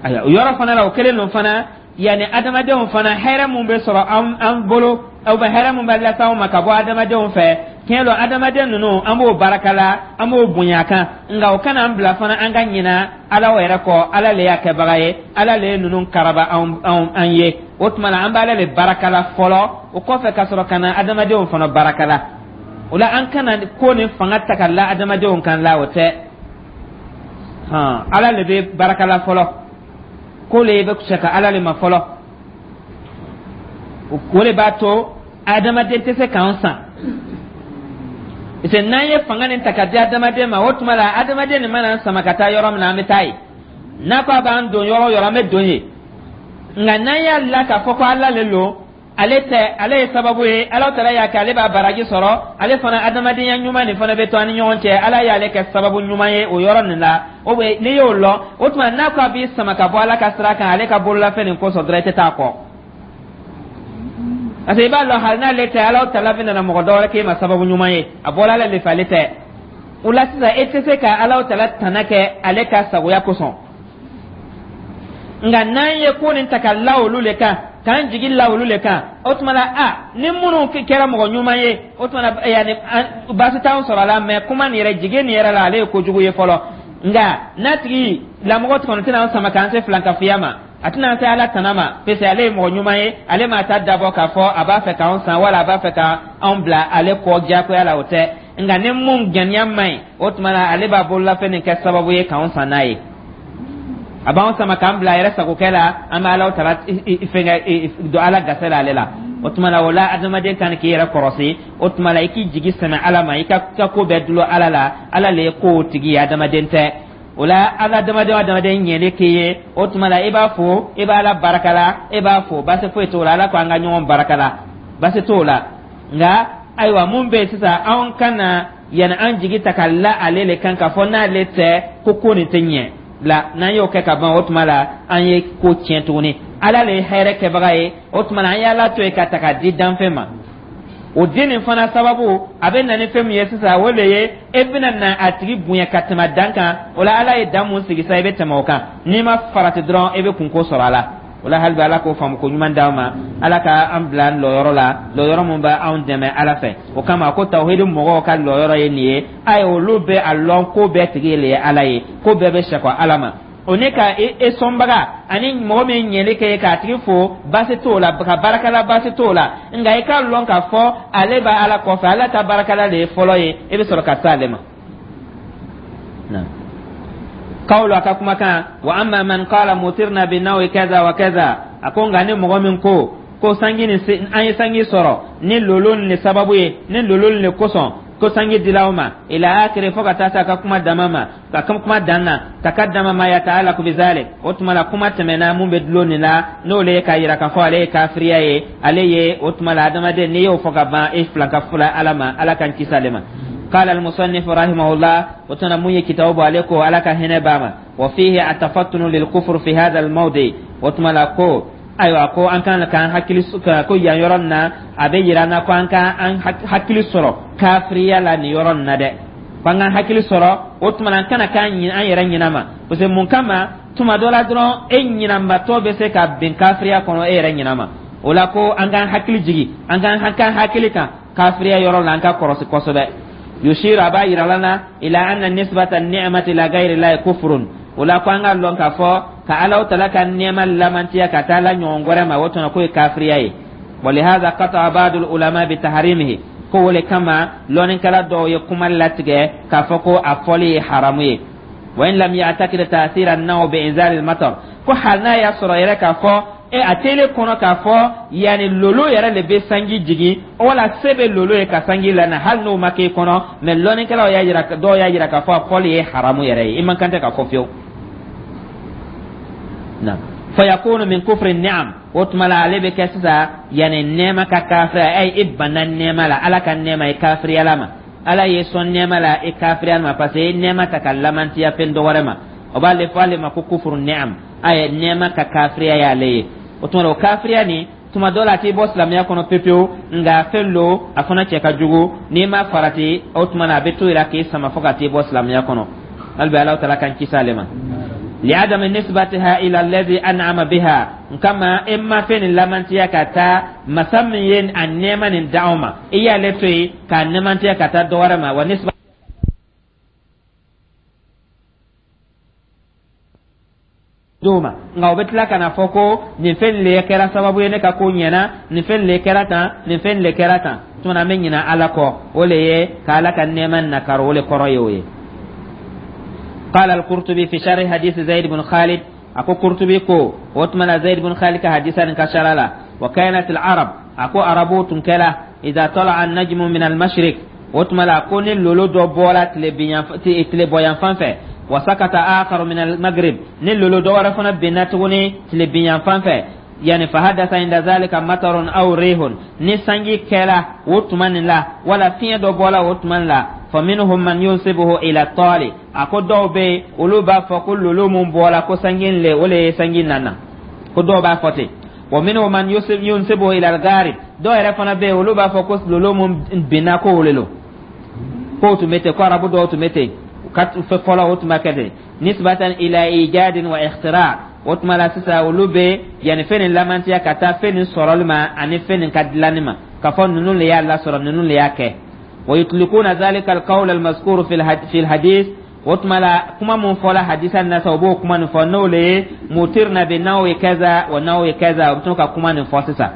Ayiwa, o yɔrɔ fana la, o kelen don fana. Yanni adamadenw fana, hɛrɛ mun bɛ sɔrɔ an bolo, aw bɛ hɛrɛ mun bɛ lase anw ma ka bɔ adamadenw fɛ, tiɲɛ don, adamaden ninnu, an b'o barakala, an b'o bonya kan, nka o kana an bila fana an ka ɲina Ala yɛrɛ kɔ. Ala le y'a kɛbaga ye, Ala le ye ninnu karaba an ye. O tuma la, an b'ale le barakala fɔlɔ, o kɔfɛ ka sɔrɔ ka na adamadenw fana barakala. O la, an kana ko ni fanga ta ka la adamadenw kan la, o tɛ. Hɔn, Ala le bɛ barakala fɔlɔ, ko le bɛ sɛ ka Ala le ma fɔlɔ. O de b'a to adamaden tɛ se k'an san, parce que n'an ye fanga nin ta ka di adamaden ma, o tuma la adamaden nin mana sama ka taa yɔrɔ min na, an bɛ taa yen. N'a ko a b'an don yɔrɔ o yɔrɔ, an bɛ don yen. Nka n'an y'a la k'a fɔ ko Ala le lo, ale tɛ, ale ye sababu ye, Ala tala y'a kɛ, ale b'a baraji sɔrɔ, ale fana adamadenya ɲuman nin fana bɛ to an ni ɲɔgɔn cɛ, Ala y'ale kɛ sababu ɲuman ye o yɔrɔ nin la. O bɛ n'i y'o lɔn, o tuma n'a ko a b'i sama ka bɔ Ala ka sira kan, ale ka bololafɛn nin kosɔn dɔrɔn, i tɛ taa kɔ, parce que i b'a lɔn, hali n'ale tɛ, Ala tala bɛ nana mɔgɔ dɔ wɛrɛ k'e ma sababu ɲuman ye, a bɔra Ala de fɛ, ale tɛ. O la sisan, e tɛ se ka Ala tala tana kɛ ale ka sagoya kosɔn. Nka n'an ye ko nin ta ka la olu le kan, k'an jigi la olu le kan, o tuma la, a ni minnu kɛra mɔgɔ ɲuman ye, o tuma la, yanni baasi t'anw sɔrɔ a la. Mɛ kuma nin yɛrɛ, jigi nin yɛrɛ la, ale ye kojugu ye fɔlɔ. Nka n'a tigi lamɔgɔ kɔni tɛna an sama k'an se filankafoya ma, a tɛna an se Ala tana ma, parce que ale ye mɔgɔ ɲuman ye, ale m'a ta dabɔ k'a fɔ a b'a fɛ k'anw san wala a b'a fɛ k'anw bila ale kɔ diyagoya la, o tɛ. Nka ni mun ŋaniya man ɲi, o tuma la ale b'a bololafɛn nin kɛ sababu ye k'anw san n'a ye, a b'anw sama k'an bila a yɛrɛ sagokɛ la, an bɛ Ala tala fɛnkɛ don Ala gase la ale la. O tuma la, o la adamaden kan k'i yɛrɛ kɔrɔsi. O tuma la, i k'i jigi sɛmɛ Ala ma, i ka ko bɛɛ dulon Ala la. Ala le ye kow tigi ye, adamaden tɛ. O la, ala adamaden o adamaden ɲɛli k'i ye, o tuma la i b'a fo, i b'a la barakala, e b'a fo, baasi foyi t'o la. Ala ko an ka ɲɔgɔn barakala, baasi t'o la. Nka ayiwa, mun bɛ yen sisan, anw kana yanni an jigi ta ka la ale le kan k'a fɔ n'ale tɛ ko ko nin tɛ ɲɛ la. N'an y'o kɛ ka ban, o tuma la an ye ko tiɲɛ tuguni. Ala le ye hɛrɛ kɛbaga ye. O tuma la, an y'Ala to yen ka ta k'a di danfɛn ma. O den nin fana sababu a bɛ na ni fɛn min ye sisan, o de ye e bɛna na a tigi bonya ka tɛmɛ dan kan. O la, Ala ye dan mun sigi sa, i bɛ tɛmɛ o kan. N'i ma farati dɔrɔn, e bɛ kunko sɔrɔ a la. O la, hali bi Ala k'o faamu ko ɲuman d'an ma, Ala ka an bila lɔyɔrɔ la, lɔyɔrɔ mun bɛ anw dɛmɛ Ala fɛ. O kama ko tawhidi mɔgɔw ka lɔyɔrɔ ye nin ye. Ayi, olu bɛ a lɔn ko bɛɛ tigi le ye Ala ye, ko bɛɛ bɛ sɛkɔ Ala ma. O ne ka e sɔnbaga ani mɔgɔ min ɲɛli kɛ k'a tigi fo, baasi t'o la, ka baarakɛla, baasi t'o la. Nka i k'a lɔn k'a fɔ ale bɛ Ala kɔfɛ, Ala ta baarakɛla de ye fɔlɔ ye, e bɛ sɔrɔ ka se ale ma. Kawlo a ka kumakan: wa amma man qala mutirna bi nawi kaza wa kaza. A ko nka ni mɔgɔ min ko sanji ni an ye sanji sɔrɔ ni lolo ni sababu ye, ni lolo ni kosɔn ko sanji dila o ma, ila akiri, fo ka taa se a ka kuma dama ma, ka kuma dan na, takaddama ma yataalaku bizalik. O tuma la, kuma tɛmɛna mun bɛ dulon nin la, n'o le ye k'a yira k'a fɔ ale ye kafiriya ye ale ye. O tuma la, adamaden, n'i y'o fɔ ka ban, e filan ka fula Ala ma, Ala k'an kisi ale ma. قال المصنف رحمه الله، وتنا من كتاب عليكم على كهنة باما، وفيه التفطن للكفر في هذا الموضع. وتما ko ayiwa, ko an kan k'an hakili ko yan yɔrɔ nin na, a bɛ yira an na ko an ka an hakili sɔrɔ kafiriya la nin yɔrɔ nin na dɛ, ko an k'an hakili sɔrɔ. O tuma na, an kana k'an an yɛrɛ ɲinɛ ma, parce que mun kama, tuma dɔ la dɔrɔn, e ɲinanbatɔ bɛ se ka bin kafiriya kɔnɔ e yɛrɛ ɲinɛ ma. O la, ko an k'an hakili jigi, an k'an hakili kan kafiriya yɔrɔ la, an ka kɔrɔsi kosɛbɛ. Yushiru, a b'a yira la na, ila anna nisbata ni'mati ila ghayri llahi kufrun. O la, ko an ka lɔn k'a fɔ ka Ala tala ka nɛɛma lamantiya ka taa la ɲɔgɔn wɛrɛ ma, o tuma k'o ye kafiriya ye. Walihada qata'a ba'du ulama bi taharimihi. Ko o le kama lɔnnikɛla dɔw ye kuma latigɛ k'a fɔ ko a fɔli ye haramu ye. Wa in lam ya'takid ta'thira an-naw bi inzal al-matar, ko hali n'a y'a sɔrɔ yɛrɛ k'a fɔ e a tele kɔnɔ k'a fɔ yanni lolo yɛrɛ de bɛ sanji jigin, wala se bɛ lolo ye ka sanji lana, hali n'o ma k'e kɔnɔ, mɛ lɔnnikɛlaw y'a yira, dɔw y'a yira k'a fɔ a fɔli ye haramu yɛrɛ ye, i man kan tɛ ka fɔ fiyewu. Na fayakunu min kufri ni'am. O tuma la, ale bɛ kɛ sisan yanni nɛɛma ka kafiriya ay, i banna nɛɛma la, Ala ka nɛɛma, i kafiriyala ma. Ala ye sɔn nɛɛma la, i kafiriyala ma, parce que i nɛɛma ta ka lamantiya fɛn dɔ wɛrɛ ma. O b'ale fɔ ale ma ko kufuru ni'am, a ye nɛɛma ka kafiriya y'ale ye. O tuma la, O tuma la, o kafiriya nin, tuma dɔ la a t'i bɔ silamɛya kɔnɔ pepewu, nka fɛn lo, a fana cɛ ka jugu. N'i ma farati, o tuma na a bɛ to i la k'i sama fo ka t'i bɔ silamɛya kɔnɔ. Hali bi Alahu Taala k'an kisi ale ma. Liadami nisbatiha ila alladhi an'ama biha, kama e ma fɛn nin lamantiya ka taa masa min ye a nɛɛma nin d'anw ma, i y'ale to yen k'a nɛɛmantiya ka taa dɔ wɛrɛ ma wa nisba d'o ma. Nka o bɛ tila ka na fɔ ko nin fɛn le kɛra sababu ye ne ka ko ɲɛna, nin fɛn le kɛra tan, nin fɛn le kɛra tan. Tuma an bɛ ɲinɛ Ala kɔ, o le ye ka Ala ka nɛɛma nakaro, o le kɔrɔ ye o ye. قال القرطبي في شرح حديث زيد بن خالد، أكو قرطبي كو وتمنى زيد بن خالد كحديثا كشرالا، وكانت العرب، أكو عربو تنكلا، إذا طلع النجم من المشرق، o tuma la ko ni lolo dɔ bɔra tilebɔyanfan fɛ, wa sakata akharu min al-maghrib, ni lolo dɔ wɛrɛ fana binna tuguni tilebinyanfan fɛ, yani fahadasa inda zalika matarun aw rihun, ni sanji kɛra o tuma nin la wala fiɲɛ dɔ bɔla o tuma nin la, fa minhum man yunsibuhu ila tali, a ko dɔw bɛ yen, olu b'a fɔ ko lolo mun bɔla ko sanji le, o le ye sanji nana, ko dɔw b'a fɔ ten. Wa minhum man yunsibuhu ila al-gharib, dɔw yɛrɛ fana bɛ yen, olu b'a fɔ ko lolo mun binna ko o le lo. K'o tun bɛ ten, ko arabu dɔw tun bɛ ten ka fɔlɔ, o tun b'a kɛ ten, nisbatan ila ijadin wa ikhtira. O tuma la sisan, olu bɛ yanni fɛn nin lamantiya ka taa fɛn nin sɔrɔli ma ani fɛn nin ka dilanni ma, k'a fɔ ninnu le y'a lasɔrɔ, ninnu le y'a kɛ. Wa yutlikuna zalika alqawl almazkur fi alhadith. O tuma la, kuma mun fɔla hadisa nin na sa, o b'o kuma nin fɔ, n'o le ye mutirna bi nawi kaza wa nawi kaza, o bɛ to ka kuma nin fɔ sisan.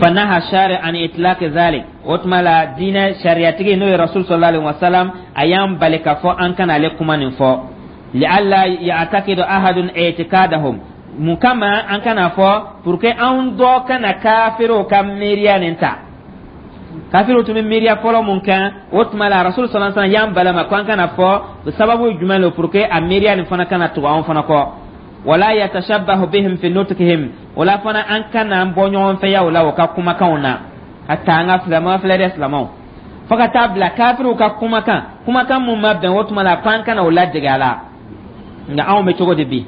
Fanaha shari an itlaq zalik. O tuma la, diinɛ sariyatigi, n'o ye Rasul sallallahu alaihi wasallam, a y'an bali k'a fɔ an kana ale kuma nin fɔ, li'alla ya'taqidu ahadun i'tiqadahum. Mun kama an kana fɔ? Pour que anw dɔ kana kafiriw ka miiriya nin ta. Kafiriw tun bɛ miiriya fɔlɔ mun kan, o tuma la Rasul sallallahu alaihi wasallam y'an balama ko an kana fɔ. Sababu ye jumɛn lo? Pour que a miiriya nin fana kana tugu anw fana kɔ. Wala yatashabbahu bihim fi nutqihim, o la fana an kana an bɔ ɲɔgɔn fɛ ya o la o ka kumakanw na. Hatta an ka silamɛw filɛ dɛ, silamɛw, fo ka taa bila kafiriw ka kumakan, kumakan mun ma bɛn, o tuma la ko an kana o ladege a la. Nka anw bɛ cogo di bi?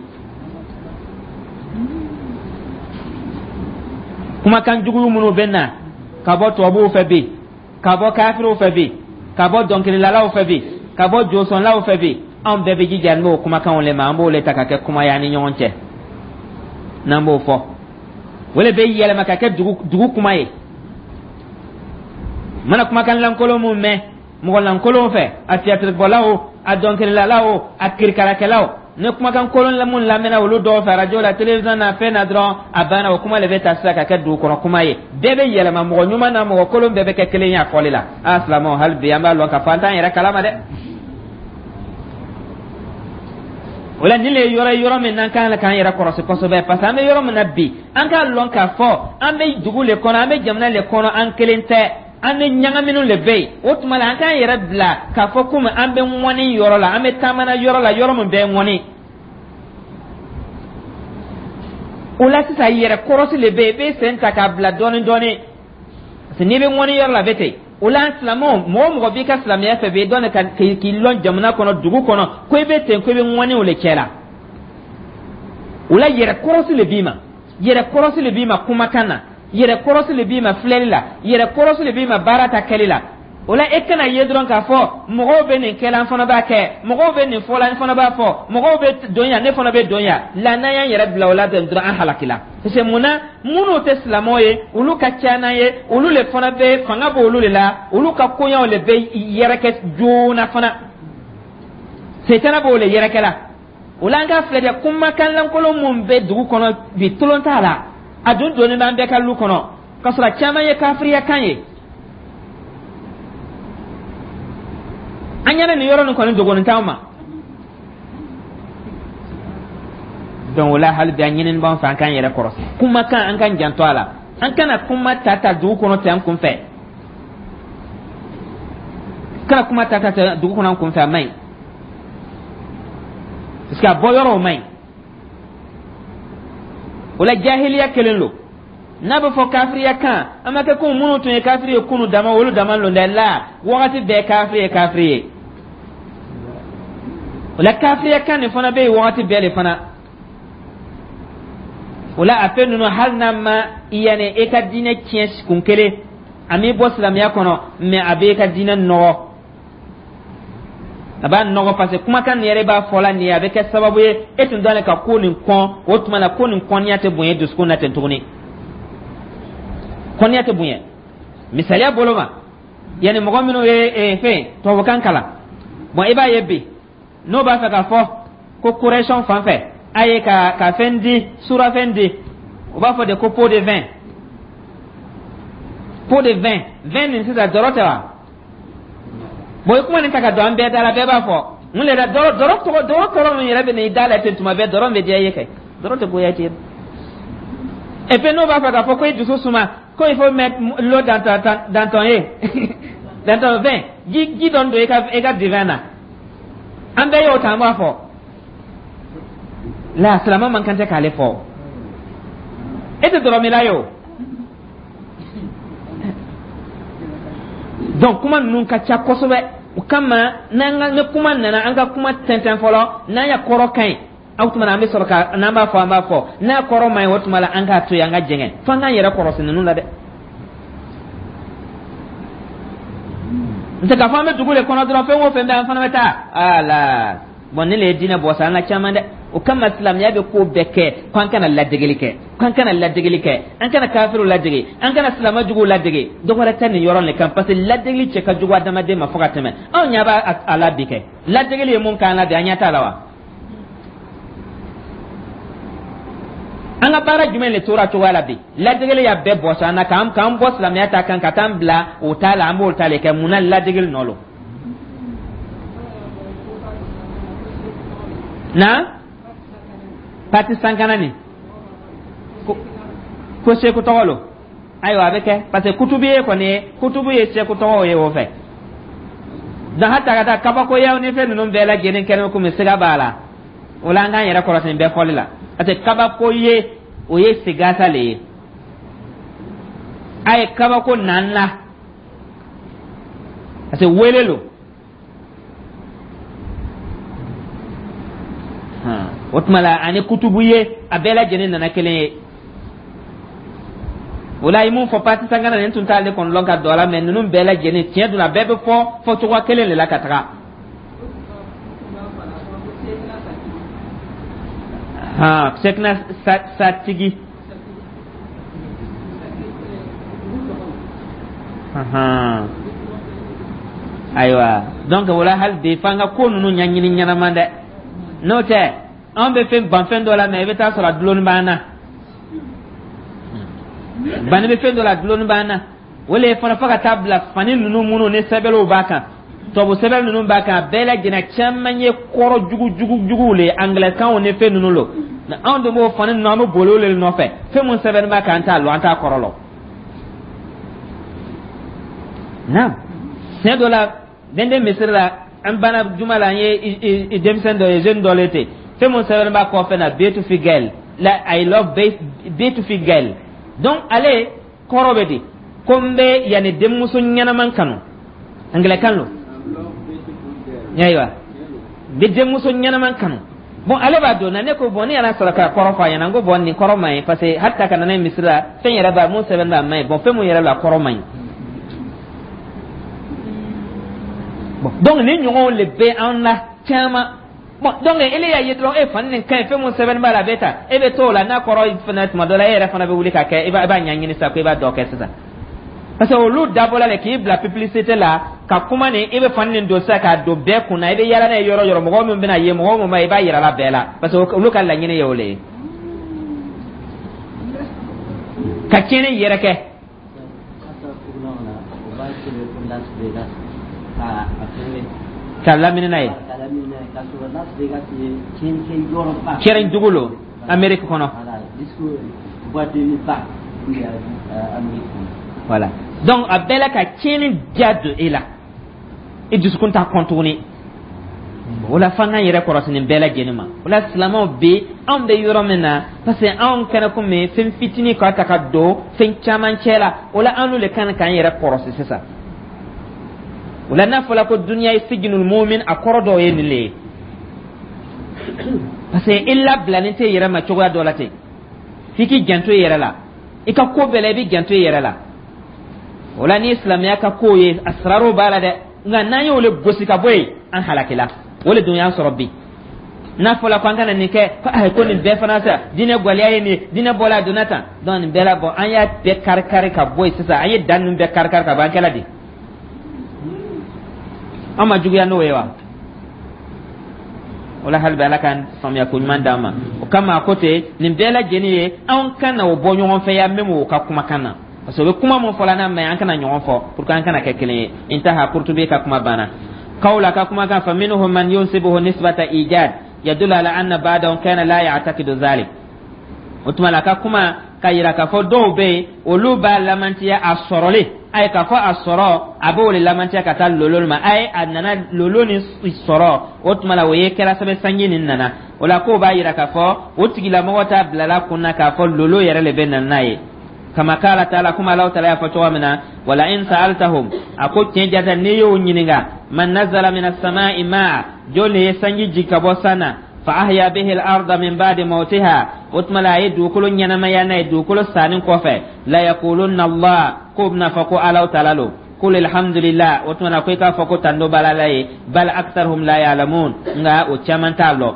Kumakan jugu minnu bɛ na ka bɔ tubabuw fɛ bi, ka bɔ kafiriw fɛ bi, ka bɔ dɔnkililalaw fɛ bi, ka bɔ josɔnlaw fɛ bi, anw bɛɛ bɛ jija n'o kumakanw le ma, an b'o le ta ka kɛ kuma ye an ni ɲɔgɔn cɛ, n'an b'o fɔ, o le bɛ yɛlɛma ka kɛ dugu kuma ye. Mana kumakan lankolon mun mɛn mɔgɔ lankolon fɛ, a tiyatiribɔlaw, a dɔnkililalaw, a kirikarakɛlaw, ni kumakan kolon mun lamɛnna olu dɔw fɛ arajo la, télévision na, fɛn na dɔrɔn, a banna, o kuma le bɛ ta sisan ka kɛ dugu kɔnɔ kuma ye. Bɛɛ bɛ yɛlɛma, mɔgɔ ɲuman na mɔgɔ kolon bɛɛ bɛ kɛ kelen ye a fɔli la. A silamɛw, hali bi an b'a lɔn k'a fɔ an t'an yɛrɛ kalama dɛ. O la, nin le ye yɔrɔ ye, yɔrɔ min n'an kan k'an yɛrɛ kɔlɔsi kosɛbɛ, parce que an bɛ yɔrɔ min na bi, an k'a lɔn k'a fɔ an bɛ dugu le kɔnɔ, an bɛ jamana le kɔnɔ, an kelen tɛ, an ni ɲagaminiw le bɛ yen. O tuma la, an k'an yɛrɛ bila k'a fɔ komi an bɛ ŋɔni yɔrɔ la, an bɛ taamana yɔrɔ la, yɔrɔ min bɛ ŋɔni. O la sisan, yɛrɛ kɔrɔsi le bɛ yen, i bɛ sen ta k'a bila dɔɔni dɔɔni, parce que n'i bɛ ŋɔni yɔrɔ la, a bɛ ten. O la silamɛw, mɔgɔ o mɔgɔ b'i ka silamɛya fɛ bi, dɔn ka k'i lɔn jamana kɔnɔ, dugu kɔnɔ, ko i bɛ ten, ko i bɛ ŋɔniw le cɛ la. O la yɛrɛ kɔrɔsi le b'i ma, yɛrɛ kɔrɔsi le b'i ma kumakan na, yɛrɛ kɔrɔsi le b'i ma filɛli la, yɛrɛ kɔrɔsi le b'i ma baara ta kɛli la. O la, e kana ye dɔrɔn k'a fɔ mɔgɔw bɛ nin kɛla, an fana b'a kɛ, mɔgɔw bɛ nin fɔla, an fana b'a fɔ, mɔgɔw bɛ don yan, ne fana bɛ don yan la. N'an y'an yɛrɛ bila o la dɔrɔn, an halakila. Parce que mun na? Minnu tɛ silamɛw ye, olu ka ca n'an ye, olu le fana bɛ fanga b'olu le la, olu ka koɲaw le bɛ yɛrɛkɛ joona fana, setana b'o le yɛrɛkɛ la. O la, an k'a filɛ dɛ, kumakan lankolon mun bɛ dugu kɔnɔ bi, tolon t'a la, a dun donnen b'an bɛɛ ka lu kɔnɔ, k'a sɔrɔ a caman ye kafiriya kan ye. An ɲɛna nin yɔrɔ nin kɔni dogonin t'anw ma. Donc o la, hali bi an ɲinini b'an fɛ, an k'an yɛrɛ kɔrɔsi kumakan, an k'an janto a la, an kana kuma ta ta dugu kɔnɔ ten an kun fɛ, kana kuma ta ta ten dugu kɔnɔ an kun fɛ, a man ɲi, parce que a bɔ yɔrɔw man ɲi. O la jahiliya kelen lo, n'a bɛ fɔ kafiriya kan, an ma kɛ ko minnu tun ye kafiri ye kunu dama, olu dama lon dɛ. La wagati bɛɛ kafiri ye kafiri ye. O la kafiriya kan nin fana bɛ yen wagati bɛɛ de fana. O la, a fɛn ninnu, hali n'a ma yanni e ka diinɛ tiɲɛ kun kelen, a m'i bɔ silamɛya kɔnɔ, mais a b'e ka diinɛ nɔgɔ, a b'a nɔgɔ, parce que kumakan nin yɛrɛ b'a fɔla nin ye, a bɛ kɛ sababu ye e tun dalen ka ko nin kɔn. O tuma la, ko nin kɔnniya tɛ bonya dusukun na ten tuguni, kɔnniya tɛ bonya. Misaliya bolo ma, yanni mɔgɔ minnu ye fɛn tubabukan kalan, bon, i b'a ye bi, n'o b'a fɛ k'a fɔ ko correction fan fɛ, a ye ka fɛn di, surafɛn di, u b'a fɔ de ko pot de vin, pot de vin. Vin nin sisan, dɔrɔ tɛ wa? Bon, i kuma nin ta ka don an bɛɛ da la, bɛɛ b'a fɔ mun de la? Dɔrɔ, dɔrɔ tɔgɔ, dɔrɔ kɔrɔ min yɛrɛ bɛ na i da la ten tuma bɛɛ, dɔrɔ bɛ diya i ye kɛ, dɔrɔ tɛ goya ten. Et puis n'o b'a fɛ k'a fɔ ko i dusu suma, ko il faut mettre l'eau dans ton vin, ji dɔɔni don i ka divin na, an bɛɛ y'o ta, an b'a fɔ la, silamɛ man kan tɛ k'ale fɔ. E tɛ dɔrɔmila ye o. Donc kuma ninnu ka ca kosɛbɛ. O kama, n'an ka ni kuma nana, an ka kuma tɛntɛn fɔlɔ. N'an y'a kɔrɔ ka ɲi, aw tuma na, an bɛ sɔrɔ ka n'an b'a fɔ, an b'a fɔ. N'a kɔrɔ man ɲi, o tuma la, an k'a to yen, an ka jɛngɛ f'an k'an yɛrɛ kɔrɔsi ninnu la dɛ. N tɛ k'a fɔ an bɛ dugu de kɔnɔ dɔrɔn, fɛn o fɛn bɛ, an fana bɛ taa ala. Bon, ne le ye diinɛ bɔ sa an ka caman dɛ. O kama, silamɛya bɛ ko bɛɛ kɛ ko an kana ladegeli kɛ, ko an kana ladegeli kɛ, an kana kafiriw ladege, an kana silamɛ juguw ladege. Dɔ wɛrɛ tɛ nin yɔrɔ nin kan, parce que ladegeli cɛ ka jugu adamaden ma fo ka tɛmɛ. Anw ɲɛ b'a a la bi kɛ, ladegeli ye mun k'an la bi, an ɲɛ t'a la wa? An ka baara jumɛn de tora cogoya la bi? Ladegeli y'a bɛɛ bɔsɔ an na, k'an bɔ silamɛya ta kan ka t'an bila o ta la, an b'o ta de kɛ. Mun na? Ladegeli nɔ lo na pati sankana nin ko seku tɔgɔ lo. Ayiwa, a bɛ kɛ parce que kutubu ye kɔni ye, kutubu ye seku tɔgɔw ye o fɛ. Donc hata ka taa kabakoyaw ni fɛn ninnu bɛɛ lajɛlen kɛnɛ komi siga b'a la. O la, an k'an yɛrɛ kɔlɔsi nin bɛɛ fɔli la, parce que kabako ye, o ye sigasa le ye. A ye kabako n'an la, parce que wele lo. O tuma la, ani kutubu ye, a bɛɛ lajɛlen nana kelen ye. O la, i mun fɔ pati sankana nin tun t'ale kɔni lɔn ka don a la, mais ninnu bɛɛ lajɛlen, tiɲɛ dun, a bɛɛ bɛ fɔ fɔcogoya kelen de la ka taga. Sekina satigi. Ayiwa, donc o la, hali bi, f'an ka ko ninnu ɲɛɲini ɲɛnama dɛ. N'o tɛ, anw bɛ fɛn ban fɛn dɔ la, mais i bɛ taa sɔrɔ a dulonni b'an na. Bani bɛ fɛn dɔ la, a dulonni b'an na. O le fana, fo ka taa bila fani ninnu minnu ni sɛbɛnw b'a kan, tubabu sɛbɛn ninnu b'a kan, a bɛɛ lajɛlen caman ye kɔrɔ jugu jugu juguw le ye, angilɛkanw ni fɛn ninnu lo. Mais anw de b'o fani ninnu, an bɛ boli o le nɔfɛ. Fɛn mun sɛbɛn b'a kan, an t'a lɔn, an t'a kɔrɔ lɔn. Naam, siɲɛ dɔ la, denden misiri la, an banna juma la, an ye denmisɛn dɔ ye, jeune dɔ le ten, fɛn mun sɛbɛn b'a kɔfɛ na, "Beautiful girl", la, "I love beautiful girl". Donc ale kɔrɔ bɛ di ko n bɛ yanni denmuso ɲɛnaman kanu, angilɛkan lo. Ayiwa, n bɛ denmuso ɲɛnaman kanu. Bon, ale b'a dɔn na. Ne ko bon, ne yɛrɛ sɔrɔ ka kɔrɔ fɔ a ɲɛna. N ko bon, nin kɔrɔ man ɲi, parce que hali ta ka na n'a ye misiri la, fɛn yɛrɛ b'a mun sɛbɛn b'a man ɲi. Bon, fɛn mun yɛrɛ la, kɔrɔ man ɲi. Bon, donc nin ɲɔgɔnw le bɛ an na caman. Bon, donc ele y'a ye dɔrɔn, e fani nin ka ɲi, fɛn mun sɛbɛn b'a la, a bɛ ta, e bɛ t'o la. N'a kɔrɔ fana, tuma dɔ la, e yɛrɛ fana bɛ wuli ka kɛ, i b'a ɲɛɲini sisan ko i b'a dɔ kɛ sisan, parce que olu dabɔla de k'i bila publicité la ka kuma nin. I bɛ fani nin don sisan k'a don bɛɛ kunna, i bɛ yaala n'a ye yɔrɔ yɔrɔ, mɔgɔ min bɛna ye, mɔgɔ min ma, i b'a yira la bɛɛ la, parce que olu ka laɲini ye o le ye, ka tiɲɛni yɛrɛ kɛ. Ka lamini n'a ye kɛrɛn dugu lo Amérique kɔnɔ. Voilà, donc a bɛɛ la ka tiɲɛni diya don e la, i dusukun t'a kɔn tuguni. O la, f'an k'an yɛrɛ kɔlɔsi nin bɛɛ lajɛlen ma. O la, silamɛw bɛ, anw bɛ yɔrɔ min na, parce que anw kɛnɛ komi fɛn fitinin ka ta ka don fɛn caman cɛ la. O la, an n'u de kan k'an yɛrɛ kɔlɔsi sisan. O la, n'a fɔra ko duniya ye sijinul mumin, a kɔrɔ dɔw ye nin le ye, parce que i labilalen tɛ yɛrɛ ma cogoya dɔ la ten. F'i k'i janto i yɛrɛ la, i ka ko bɛɛ la, i b'i janto i yɛrɛ la. O la, ni silamɛya ka ko ye, asirarow b'a la dɛ, nka n'an y'o le gosi ka bɔ yen, an halakila. O le dun y'an sɔrɔ bi. N'a fɔla ko an kana nin kɛ, ko ayi, ko nin bɛɛ fana sa, diinɛ gwɛlɛya ye nin ye, diinɛ bɔla a donna tan. Donc nin bɛɛ la bɔn, an y'a bɛɛ kari kari ka bɔ yen sisan, an ye dan ninnu bɛɛ kari kari ka bɔ, an kɛla di? An ma juguya n'o ye wa? O la, hali bi, Ala ka faamuya ko ɲuman d'an ma. O kama, a ko ten, nin bɛɛ lajɛlen ye, anw kana o bɔ ɲɔgɔn fɛ ya, même o ka kumakan na, parce que o bɛ kuma mun fɔla n'a ma ɲi, an kana ɲɔgɔn fɔ pour que an kana kɛ kelen ye. Intaha, Kurtubi ka kuma banna. Kawla ka kumakan, fa minhum man yunsibuhu nisbata ijad yadullu ala anna ba'dahum kana la ya'taqidu zalik. O tuma la, ka kuma ka yira k'a fɔ dɔw bɛ yen, olu b'a lamantiya a sɔrɔlen a ye, k'a fɔ a sɔrɔ, a b'o de lamantiya ka taa lolo ma. A ye a nana lolo ni sɔrɔ, o tuma la, o ye kɛra sɛbɛn sanji nin nana. O la, k'o b'a yira k'a fɔ o tigilamɔgɔ t'a bilala kun na k'a fɔ lolo yɛrɛ de bɛ na n'a ye. Kama kala taala, kuma Alahu taala y'a fɔ cogo min na: wala in sa'altahum, a ko tiɲɛ jata, n'i y'o ɲininka, man nazala min as-sama'i ma'a, jɔn de ye sanji jigin ka bɔ san na, fa ahya bihi al-arda min ba'di mawtiha, o tuma la, a ye dugukolo ɲɛnamaya n'a ye dugukolo sanni kɔfɛ, la yaqulunna Allah, k'o bɛna fɔ ko Alahu taala lo. Qul alhamdulillah, o tuma na, ko i k'a fɔ ko tando b'Ala la ye, bal aktharuhum la ya'lamun, nka o caman t'a lɔn.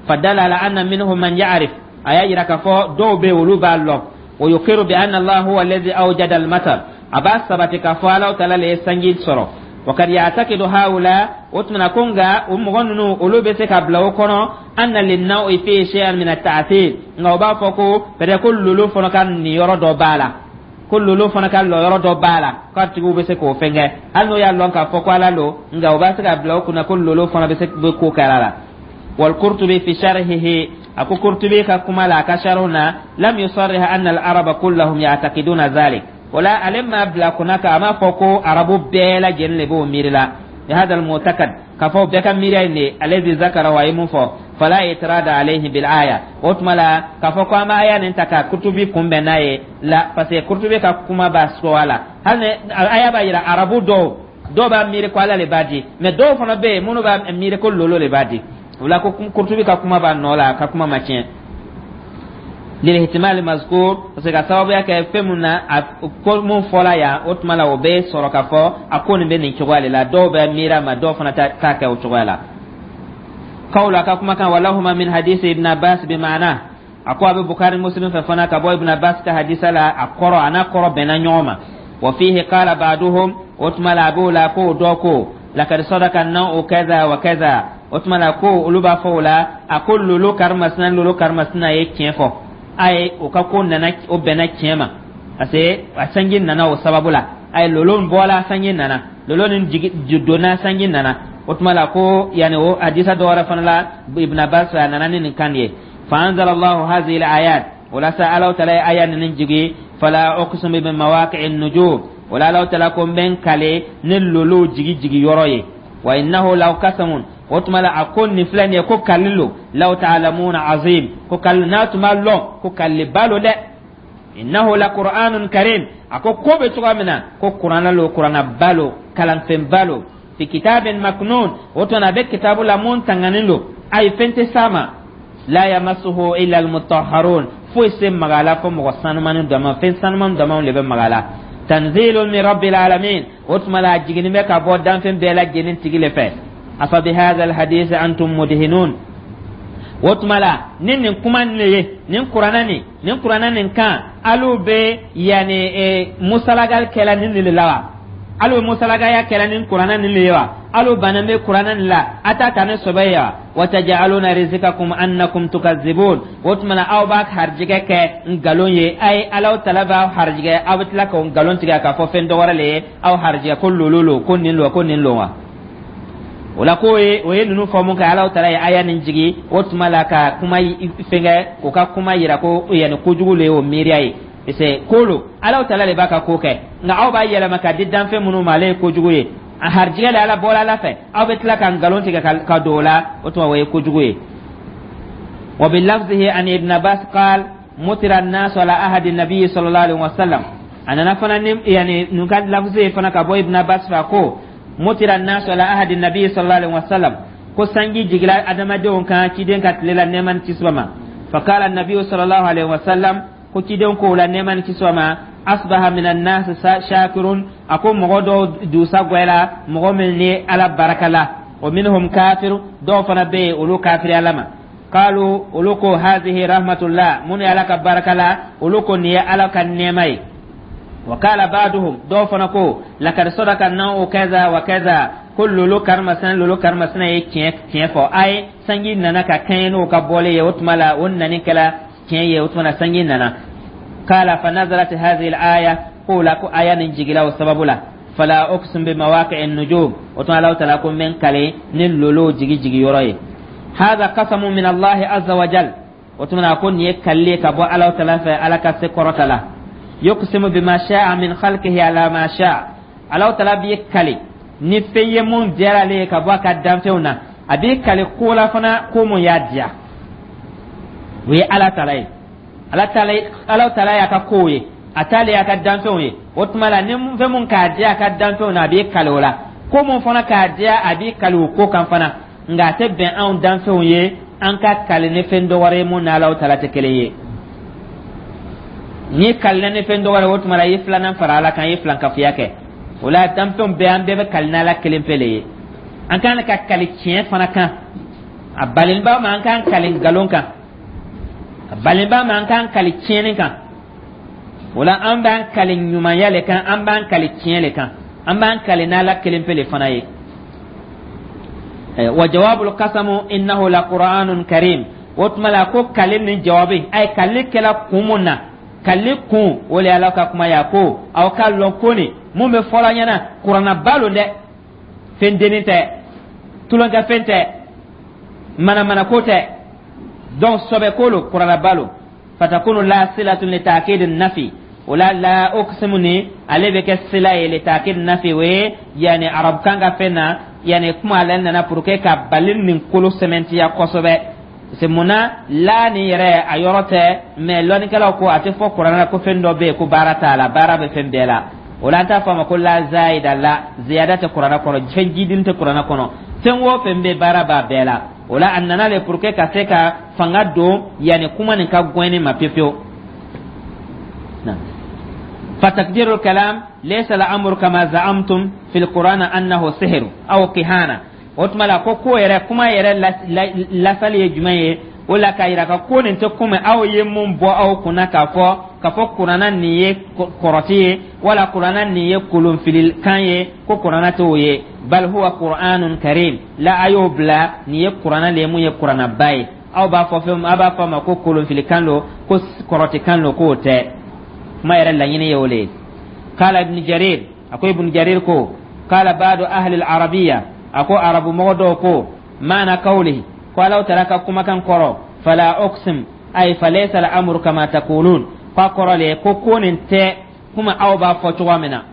Fadala ala anna minhum man ya'rif, a y'a yira k'a fɔ dɔw bɛ yen, olu b'a lɔn. Wa yuqiru bi anna Allah huwa alladhi awjada al-matar, a b'a sabati k'a fɔ Alahu taala le ye sanji sɔrɔ. Wa kad ya'taqidu haula, o tuma na, ko nka o mɔgɔ ninnu, olu bɛ se ka bila o kɔnɔ, anna lin-naw'i fi shay'an min at-ta'thir, nka o b'a fɔ ko peut-être ko lolo fana ka niyɔrɔ dɔ b'a la, ko lolo fana ka lɔyɔrɔ dɔ b'a la, k'a tigiw bɛ se k'o fɛn kɛ. Hali n'o y'a lɔn k'a fɔ ko Ala lo, nka o b'a se ka bila o kunna ko lolo fana bɛ se bɛ ko kɛra la. والقرطبي في شرحه، أكو قرطبي كما لا كشرنا، لم يصرح أن العرب كلهم يعتقدون ذلك، ولا علم ما بلا كناك أما فوكو عربو بلا جن لبو ميرلا بهذا المعتقد، كفو بك ميرين الذي ذكر ويمون فو، فلا اعتراض عليه بالآية. وتملا كفو كما آية ننتكا قرطبي كم بناي لا، parce que قرطبي كما باسوالا هل آية بايرا عربو دو dɔw b'a miiri ko Ala le b'a di, mais dɔw fana bɛ yen minnu b'a miiri ko lolo le b'a di. O la, ko Kurtubi ka kuma b'a nɔ la, a ka kuma ma tiɲɛ, lilihtimali mazkur, parce que ka sababuya kɛ fɛn mun na, a ko mun fɔla yan, o tuma la, o bɛ sɔrɔ k'a fɔ a ko nin bɛ nin cogoya de la. Dɔw bɛ miiri a ma, dɔw fana t'a kɛ o cogoya la. Kawla ka kumakan, walahuma min hadisi Ibn Abbas bi maana, a ko a bɛ Bukari Muslim fɛ fana ka bɔ Ibn Abbas ka hadisa la, a kɔrɔ a n'a kɔrɔ bɛnna ɲɔgɔn ma. Wa fihi qala ba'duhum, o tuma la, a b'o la ko dɔ ko lakad sadaka naw'u kaza wa kaza. O tuma la, ko olu b'a fɔ o la, a ko lolo karimasina, lolo karimasina ye tiɲɛ fɔ a ye, o ka ko nana, o bɛnna tiɲɛ ma, parce que a sanji nana o sababu la. A ye lolo bɔla, sanji nana, lolo ni jigi donna, sanji nana. O tuma la, ko yanni o hadisa dɔ wɛrɛ fana la, Ibn Abbas a nana ni nin kan ye. Fa anzala Allahu hazihi al-ayat, walasa Ala taala ye aya ninnu jigi: fala uqsimu bi mawaqi'i an-nujum, wala Ala taala ko n bɛ n kale ni lolow jigi jigi yɔrɔ ye, wa innahu law qasamun, o tuma la, a ko nin filɛ nin ye, ko kali lo, law ta'lamuna azim, ko kali n'a tun b'a lɔn ko kaliba lo dɛ, innahu la qur'anun karim, a ko ko bɛ cogoya min na, ko kuranna lo, kurannaba lo, kalanfɛnba lo, fi kitabin maknun, o tuma na, a bɛ kitabu la mun tanganin lo, ayi, fɛn tɛ s'a ma, la yamassuhu illa almutahharun, foyi se maga la fɔ mɔgɔ sanumani dama, fɛn sanuman damaw de bɛ maga la, tanzilun min rabbil alamin, o tuma la, a jiginni bɛ ka bɔ danfɛn bɛɛ lajɛlen tigi le fɛ. Afa bihadha alhadith antum mudhinun, o tuma la, ni nin kuma nin ye, nin kuranna nin, nin kuranna nin kan, alu bɛ yanni musalagali kɛla nin de la wa? Alu bɛ musalagaya kɛla nin kuranna nin de ye wa? Alu bannen bɛ kuranna nin la, a t'a ta ni sɔbɛ ye wa? Wa taj'aluna rizqakum annakum tukazibun, o tuma na, aw b'a harijigɛ kɛ nkalon ye. A ye Alaw tala b'aw harijigɛ, aw bɛ tila k'o nkalon tigɛ k'a fɔ fɛn dɔ wɛrɛ le ye aw harijigɛ, ko lolo lo, ko nin lo, ko nin lo wa? O la, ko o ye ninnu fɔ mun kɛ, Alaw tala ye aya nin jigi. O tuma la, ka kuma fɛnkɛ, o ka kuma yira ko yanni kojugu le ye o miiriya ye, parce que ko lo, Alaw tala de b'a ka ko kɛ, nka aw b'a yɛlɛma ka di danfɛn minnu ma, ale ye kojugu ye. A harijigɛ le Ala bɔra Ala fɛ, aw bɛ tila ka nkalon tigɛ ka don o la, o tuma, o ye kojugu ye. Wa bilafzihi an Ibn Abbas qal mutira an-nas ala ahadi nabi sallallahu alaihi wasallam, a nana fana ni yani nun ka lafzi ye fana ka bɔ Ibn Abbas fɛ, ko mutira an-nas ala ahadi nabi sallallahu alaihi wasallam, ko sanji jigila adamadenw kan ciden ka tile la, nɛɛma ni kisi ma. Fakala nabi sallallahu alaihi wasallam. Ko cidenw ko la, nɛɛma ni kisi ma, asbaha min annas shakirun, a ko mɔgɔ dɔw dusa gwɛla, mɔgɔ min ni Ala baraka la, wa minhum kafir, dɔw fana bɛ yen, olu kafiri Ala ma. Qalu, olu ko hazihi rahmatullah, minnu ye Ala ka baraka la, olu ko nin ye Ala ka nɛɛma ye. Wa qala ba'duhum, dɔw fana ko lakad sadaka na'u kaza wa kaza, ko lolo karimasina, lolo karimasina ye tiɲɛ tiɲɛ fɔ. A ye sanji nana ka kɛɲɛ n'o ka bɔlen ye. O tuma la, o nani kɛla tiɲɛ ye. O tuma na, sanji nana. Qala fa nazalat hadhihi al-aya, ko la ko aya nin jigila o sababu la, fala uqsim bi mawaqi'in nujum. O tuma, Allahu taala ko n bɛ n kale ni lolo jigi jigi yɔrɔ ye. Hadha qasamu min Allah azza wa jal. O tuma na, ko nin ye kalile ka bɔ Allahu taala fɛ, Ala ka se kɔrɔta la. Yuqsimu bima sha'a min khalqihi ala ma sha'a. Allahu taala b'i kale ni fɛn ye mun diyara ale ye ka bɔ a ka danfɛnw na. A b'i kale ko la fana, ko mun y'a diya, o ye Ala taala ye. Ala taala, Ala taala y'a ka kow ye, a t'ale y'a ka danfɛnw ye. O tuma la, ni fɛn mun k'a diya a ka danfɛnw na, a b'i kale o la. Ko mun fana k'a diya, a b'i kale o ko kan fana. Nka a tɛ bɛn anw danfɛnw ye an ka kale ni fɛn dɔ wɛrɛ ye mun n'Ala taala tɛ kelen ye. N'i kalila ni fɛn dɔ wɛrɛ, o tuma la, i ye filanan fara Ala kan, i ye filankafoya kɛ. O la, danfɛnw bɛɛ, an bɛɛ bɛ kali n'Ala kelen pe le ye. An kan ka kali tiɲɛ fana kan, a balenba ma an k'an kali nkalon kan, a balenba ma an k'an kali tiɲɛni kan. O la, an b'an kali ɲumanya le kan, an b'an kali tiɲɛ le kan, an b'an kali n'Ala kelen pe le fana ye. Wa jawabul qasamu innahu la qur'anun karim. O tuma la, ko kali ni jawabi, ay kali kɛla kun mun na, kali kun o le Ala ka kuma ya, ko aw ka lɔn ko nin mun bɛ fɔlɔ ɲɛna, kuranaba lo dɛ, fɛn dennin tɛ, tulonkɛ fɛn tɛ, manamana ko tɛ. Donc sɔbɛ ko lo, kuranaba lo. Fatakunu la silatun li ta'kid nafi. O la, la uqsimu ni ale bɛ kɛ sila ye li ta'kid nafi. O ye yani arabukan ka fɛn na, yani kuma ale nana pour que ka bali nin kolo sɛmɛntiya kosɛbɛ. C'est mun na la nin yɛrɛ a yɔrɔ tɛ, mais lɔnnikɛlaw ko a tɛ fɔ kuranɛ la ko fɛn dɔ bɛ yen ko baara t'a la. Baara bɛ fɛn bɛɛ la. O la, an t'a fɔ a ma ko la zayida, la ziyada tɛ kuranɛ kɔnɔ, fɛn jidini tɛ kuranɛ kɔnɔ. Fɛn o fɛn bɛ, baara b'a bɛɛ la. O la, a nana le pour que ka se ka fanga don yanni kuma nin ka gɛnni ma pewu pewu. فتقدير الكلام ليس الأمر كما زعمتم في القرآن أنه سحر أو كهانة. O tuma la, ko ko yɛrɛ, kuma yɛrɛ lasali ye jumɛn ye? O la, k'a yira ka ko nin tɛ komi aw ye mun bɔ aw kunna k'a fɔ kuranna nin ye kɔrɔti ye, wala kuranna nin ye kolonfilikan ye, ko kuranna t'o ye. Bal huwa qur'anun karim la, a y'o bila, nin ye kuranna le ye mun ye kurannaba ye. Aw b'a fɔ fɛn, aw b'a fɔ a ma ko kolonfilikan don, ko kɔrɔtikan don, k'o tɛ. Kuma yɛrɛ laɲini ye o le ye. Kala Ibn Jarir, a ko Ibn Jarir ko kala ba'du ahli al-arabiyya, a ko arabu mɔgɔ dɔw ko maana kawlihi, ko Alaw taala ka kumakan kɔrɔ fala uqsim, ay falaysa al-amru kama taqulun, ko a kɔrɔ le ko ko nin tɛ kuma aw b'a fɔ cogoya min na,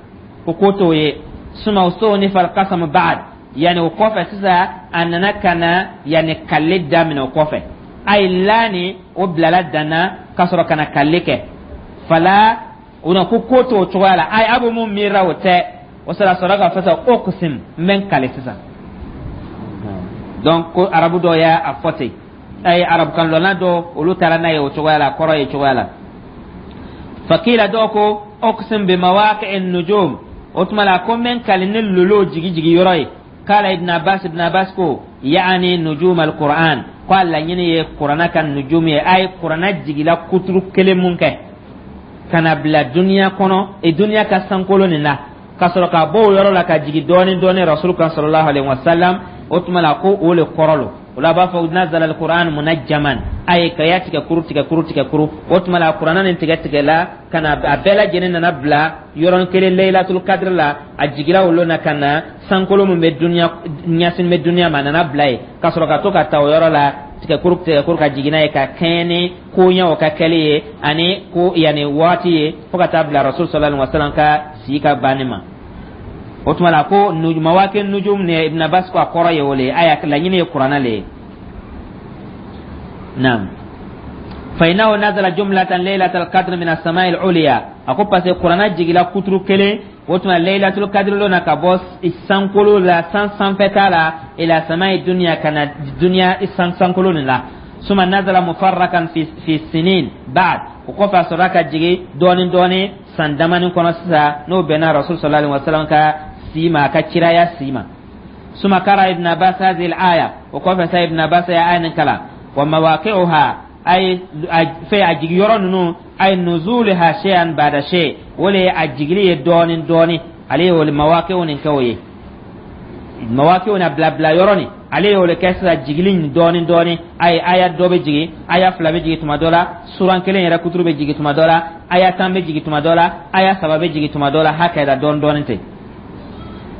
ko ko t'o ye. Suma ustunifa al-qasam ba'd, yani o kɔfɛ sisan, a nana ka na yani kale daminɛ. O kɔfɛ, ay la ni o bilala danna ka sɔrɔ ka na kale kɛ. Fala o na ko ko t'o cogoya la, ay a bɛ mun miirila, o tɛ. O sɔrɔ ka fɔ sisan uqsim, n bɛ n kale sisan. Donc ko arabu dɔw y'a a fɔ ten, ayi, arabukan lɔnna dɔw, olu taara n'a ye o cogoya la, kɔrɔ ye cogoya la. Fakila, dɔw ko uqsim bi mawaqi'in nujum. O tuma la, ko n bɛ n kale ni lolo jigi jigi yɔrɔ ye. Kala Ibn Abbas, Ibn Abbas ko yaani nujum al-Qur'an, ko a laɲini ye kuranna ka nujum ye. A ye kuranna jigila kuturu kelen mun kɛ ka na bila duniya kɔnɔ e duniya ka sankolo nin na, ka sɔrɔ ka bɔ o yɔrɔ la ka jigin dɔɔni dɔɔni rasul kan sallallahu alaihi wasallam. O tuma la, ko o le kɔrɔ lo. O la, a b'a fɔ nazala al-Qur'an munajjaman, a ye ka ya tigɛ kuru, tigɛ kuru, tigɛ kuru. O tuma la, kuranna nin tigɛ tigɛ la ka na, a bɛɛ lajɛlen nana bila yɔrɔnin kelen Laylatul Qadr la. A jigira o na ka na sankolo min bɛ duniya ɲɛsin bɛ duniya ma, a nana bila yen ka sɔrɔ ka to ka ta o yɔrɔ la, tigɛ kuru, tigɛ kuru, ka jigin n'a ye ka kɛɲɛ ni koɲɛw ka kɛli ye ani ko yanni waati ye, fo ka taa bila rasul sallallahu alaihi wasallam ka si ka banni ma. O tuma la, ko mawaqi nujum ni Ibn Abbas ko a kɔrɔ ye o le ye, aya laɲini ye kuranna le ye. Naam, fa innahu nazala jumlatan laylatal qadr min as-samai al-ulya. A ko parce que kuranna jigila kuturu kelen, o tuma laylatul qadr lo na, ka bɔ sankolo la, san sanfɛta la, ila samai dunya, ka na duniya san sankolo nin la. Suma nazala mufarrakan fi sinin ba'd. O kɔfɛ, a sɔrɔla ka jigin dɔɔni dɔɔni san damani kɔnɔ sisan, n'o bɛnna Rasul sallallahu alaihi wasallam ka si ma, a ka kiraya si ma. Suma kara Ibn Abbas hadhihi al-aya. O kɔfɛ sa, Ibn Abbas ya aya nin kalan: wa mawaqi'uha, ay fɛ a jigi yɔrɔ ninnu, ay nuzuluha shay'an ba'da shay, o le ye a jigili ye dɔɔni dɔɔni. Ale ye o mawaqi'u nin kɛ, o ye mawaqi'u na bila yɔrɔ nin, ale y'o le kɛ sisan jigili nin dɔɔni dɔɔni. A ye aya dɔ bɛ jigin, aya fila bɛ jigin tuma dɔ la, suran kelen yɛrɛ kuturu bɛ jigin tuma dɔ la, aya 10 bɛ jigin tuma dɔ la, aya saba bɛ jigin tuma dɔ la, hakɛ dɔɔni dɔɔni ten.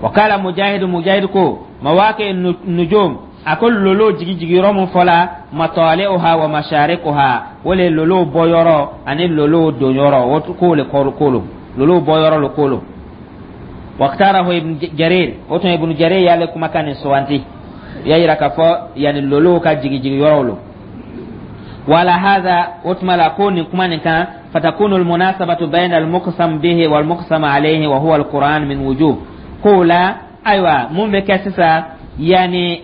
Wa kala Mujahid, Mujahid ko mawaqi nujum, a ko lolo jigi jigiyɔrɔ mun fɔla, matali'uha wa masharikuha, o le lolo bɔyɔrɔ ani lolo donyɔrɔ, o k'o le kɔrɔ kolo lolo bɔyɔrɔ lo kolo. Waktarahu Ibn Jarir. O tun Ibn Jarir y'ale kumakan nin suwanti, y'a yira k'a fɔ yani lolo ka jigi jigiyɔrɔ lo. Wala hadha, o tuma la ko nin kuma nin kan, fatakunu almunasabatu bayna almuqsam bihi walmuqsam alayhi wa huwa alquran min wujuh. Ko la, ayiwa, mun bɛ kɛ sisan? Yani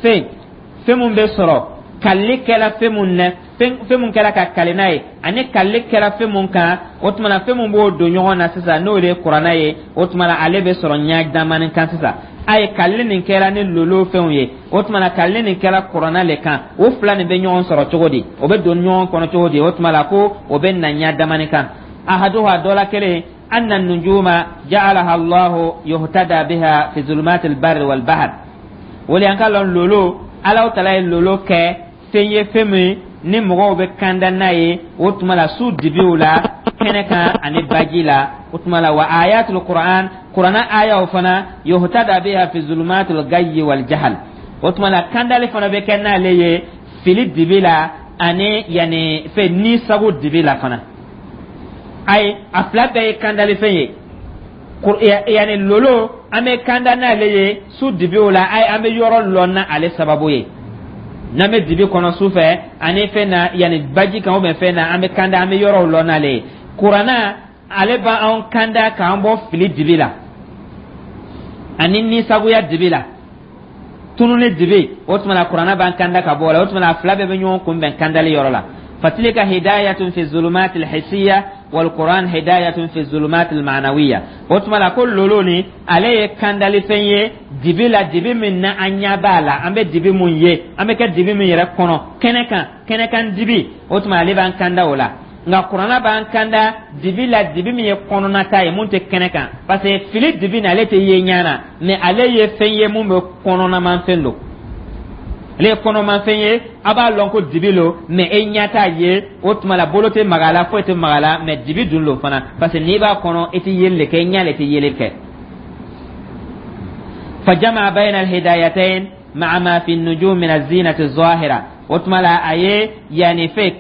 fɛn mun bɛ sɔrɔ kalili kɛla fɛn mun na, fɛn mun kɛra ka kali n'a ye, ani kalili kɛra fɛn mun kan, o tuma na fɛn mun b'o don ɲɔgɔn na sisan, n'o de ye Kuranɛ ye, o tuma na ale bɛ sɔrɔ ɲɛ damani kan sisan. A ye kalili nin kɛra ni lolo fɛnw ye, o tuma na kalili nin kɛra Kuranɛ le kan. O fila nin bɛ ɲɔgɔn sɔrɔ cogo di? O bɛ don ɲɔgɔn kɔnɔ cogo di? O tuma la ko o bɛ na ɲɛ damani kan. Ahaduha, dɔ la kelen, anna nujuma ja'alaha Allahu yuhtada biha fi zulumat al-barri wal bahr. O le an ka lɔn lolo, Alaw tala ye lolo kɛ fɛn ye, fɛn min ni mɔgɔw bɛ kanda n'a ye, o tuma la su dibiw la, kɛnɛ kan ani baji la. O tuma la wa ayatul Qur'an, Qur'ana ayaw fana, yuhtada biha fi zulumatil gayyi wal jahal. O tuma la kandali fana bɛ kɛ n'ale ye fili dibi la ani yani fɛn ni sago dibi la fana. Ayi, a fila bɛɛ ye kandali fɛn ye. Yani lolo, an bɛ kanda n'ale ye su dibiw la, ayi, an bɛ yɔrɔ lɔn na ale sababu ye. N'an bɛ dibi kɔnɔ su fɛ ani fɛn na, yanni baji kan ubiyɛn fɛn na, an bɛ kanda, an bɛ yɔrɔw lɔn n'ale ye. Kuranna, ale b'an kanda k'an bɔ fili dibi la ani nisagoya dibi la, tununi dibi. O tuma na Kuranna b'an kanda ka bɔ o la. O tuma na a fila bɛɛ bɛ ɲɔgɔn kunbɛn kandali yɔrɔ la. Fatilka hidayatun fi zulumat alhisiya walquran hidayatun fi zulumat almanawiya. O tuma la ko lolo ni ale ye kandali fɛn ye dibi la, dibi min na an ɲɛ b'a la, an bɛ dibi mun ye, an bɛ kɛ dibi min yɛrɛ kɔnɔ kɛnɛ kan, kɛnɛ kan dibi, o tuma ale b'an kanda o la. Nka Kuranna b'an kanda dibi la, dibi min ye kɔnɔnata ye, mun tɛ kɛnɛ kan, parce que fili dibi nin, ale tɛ ye ɲɛ na, mais ale ye fɛn ye mun bɛ kɔnɔnamanfɛn don. Ale ye kɔnɔmafɛn ye, a b'a lɔn ko dibi lo, mais e ɲɛ t'a ye. O tuma la bolo tɛ maga a la, foyi tɛ maga a la, mais dibi dun lo fana, parce que n'i b'a kɔnɔ, i tɛ yeli le kɛ, i ɲɛ le tɛ yeli kɛ. Fajama bayna alhidayatain ma'a ma fi nujum min azinati zahira. O tuma la a ye yanni fɛ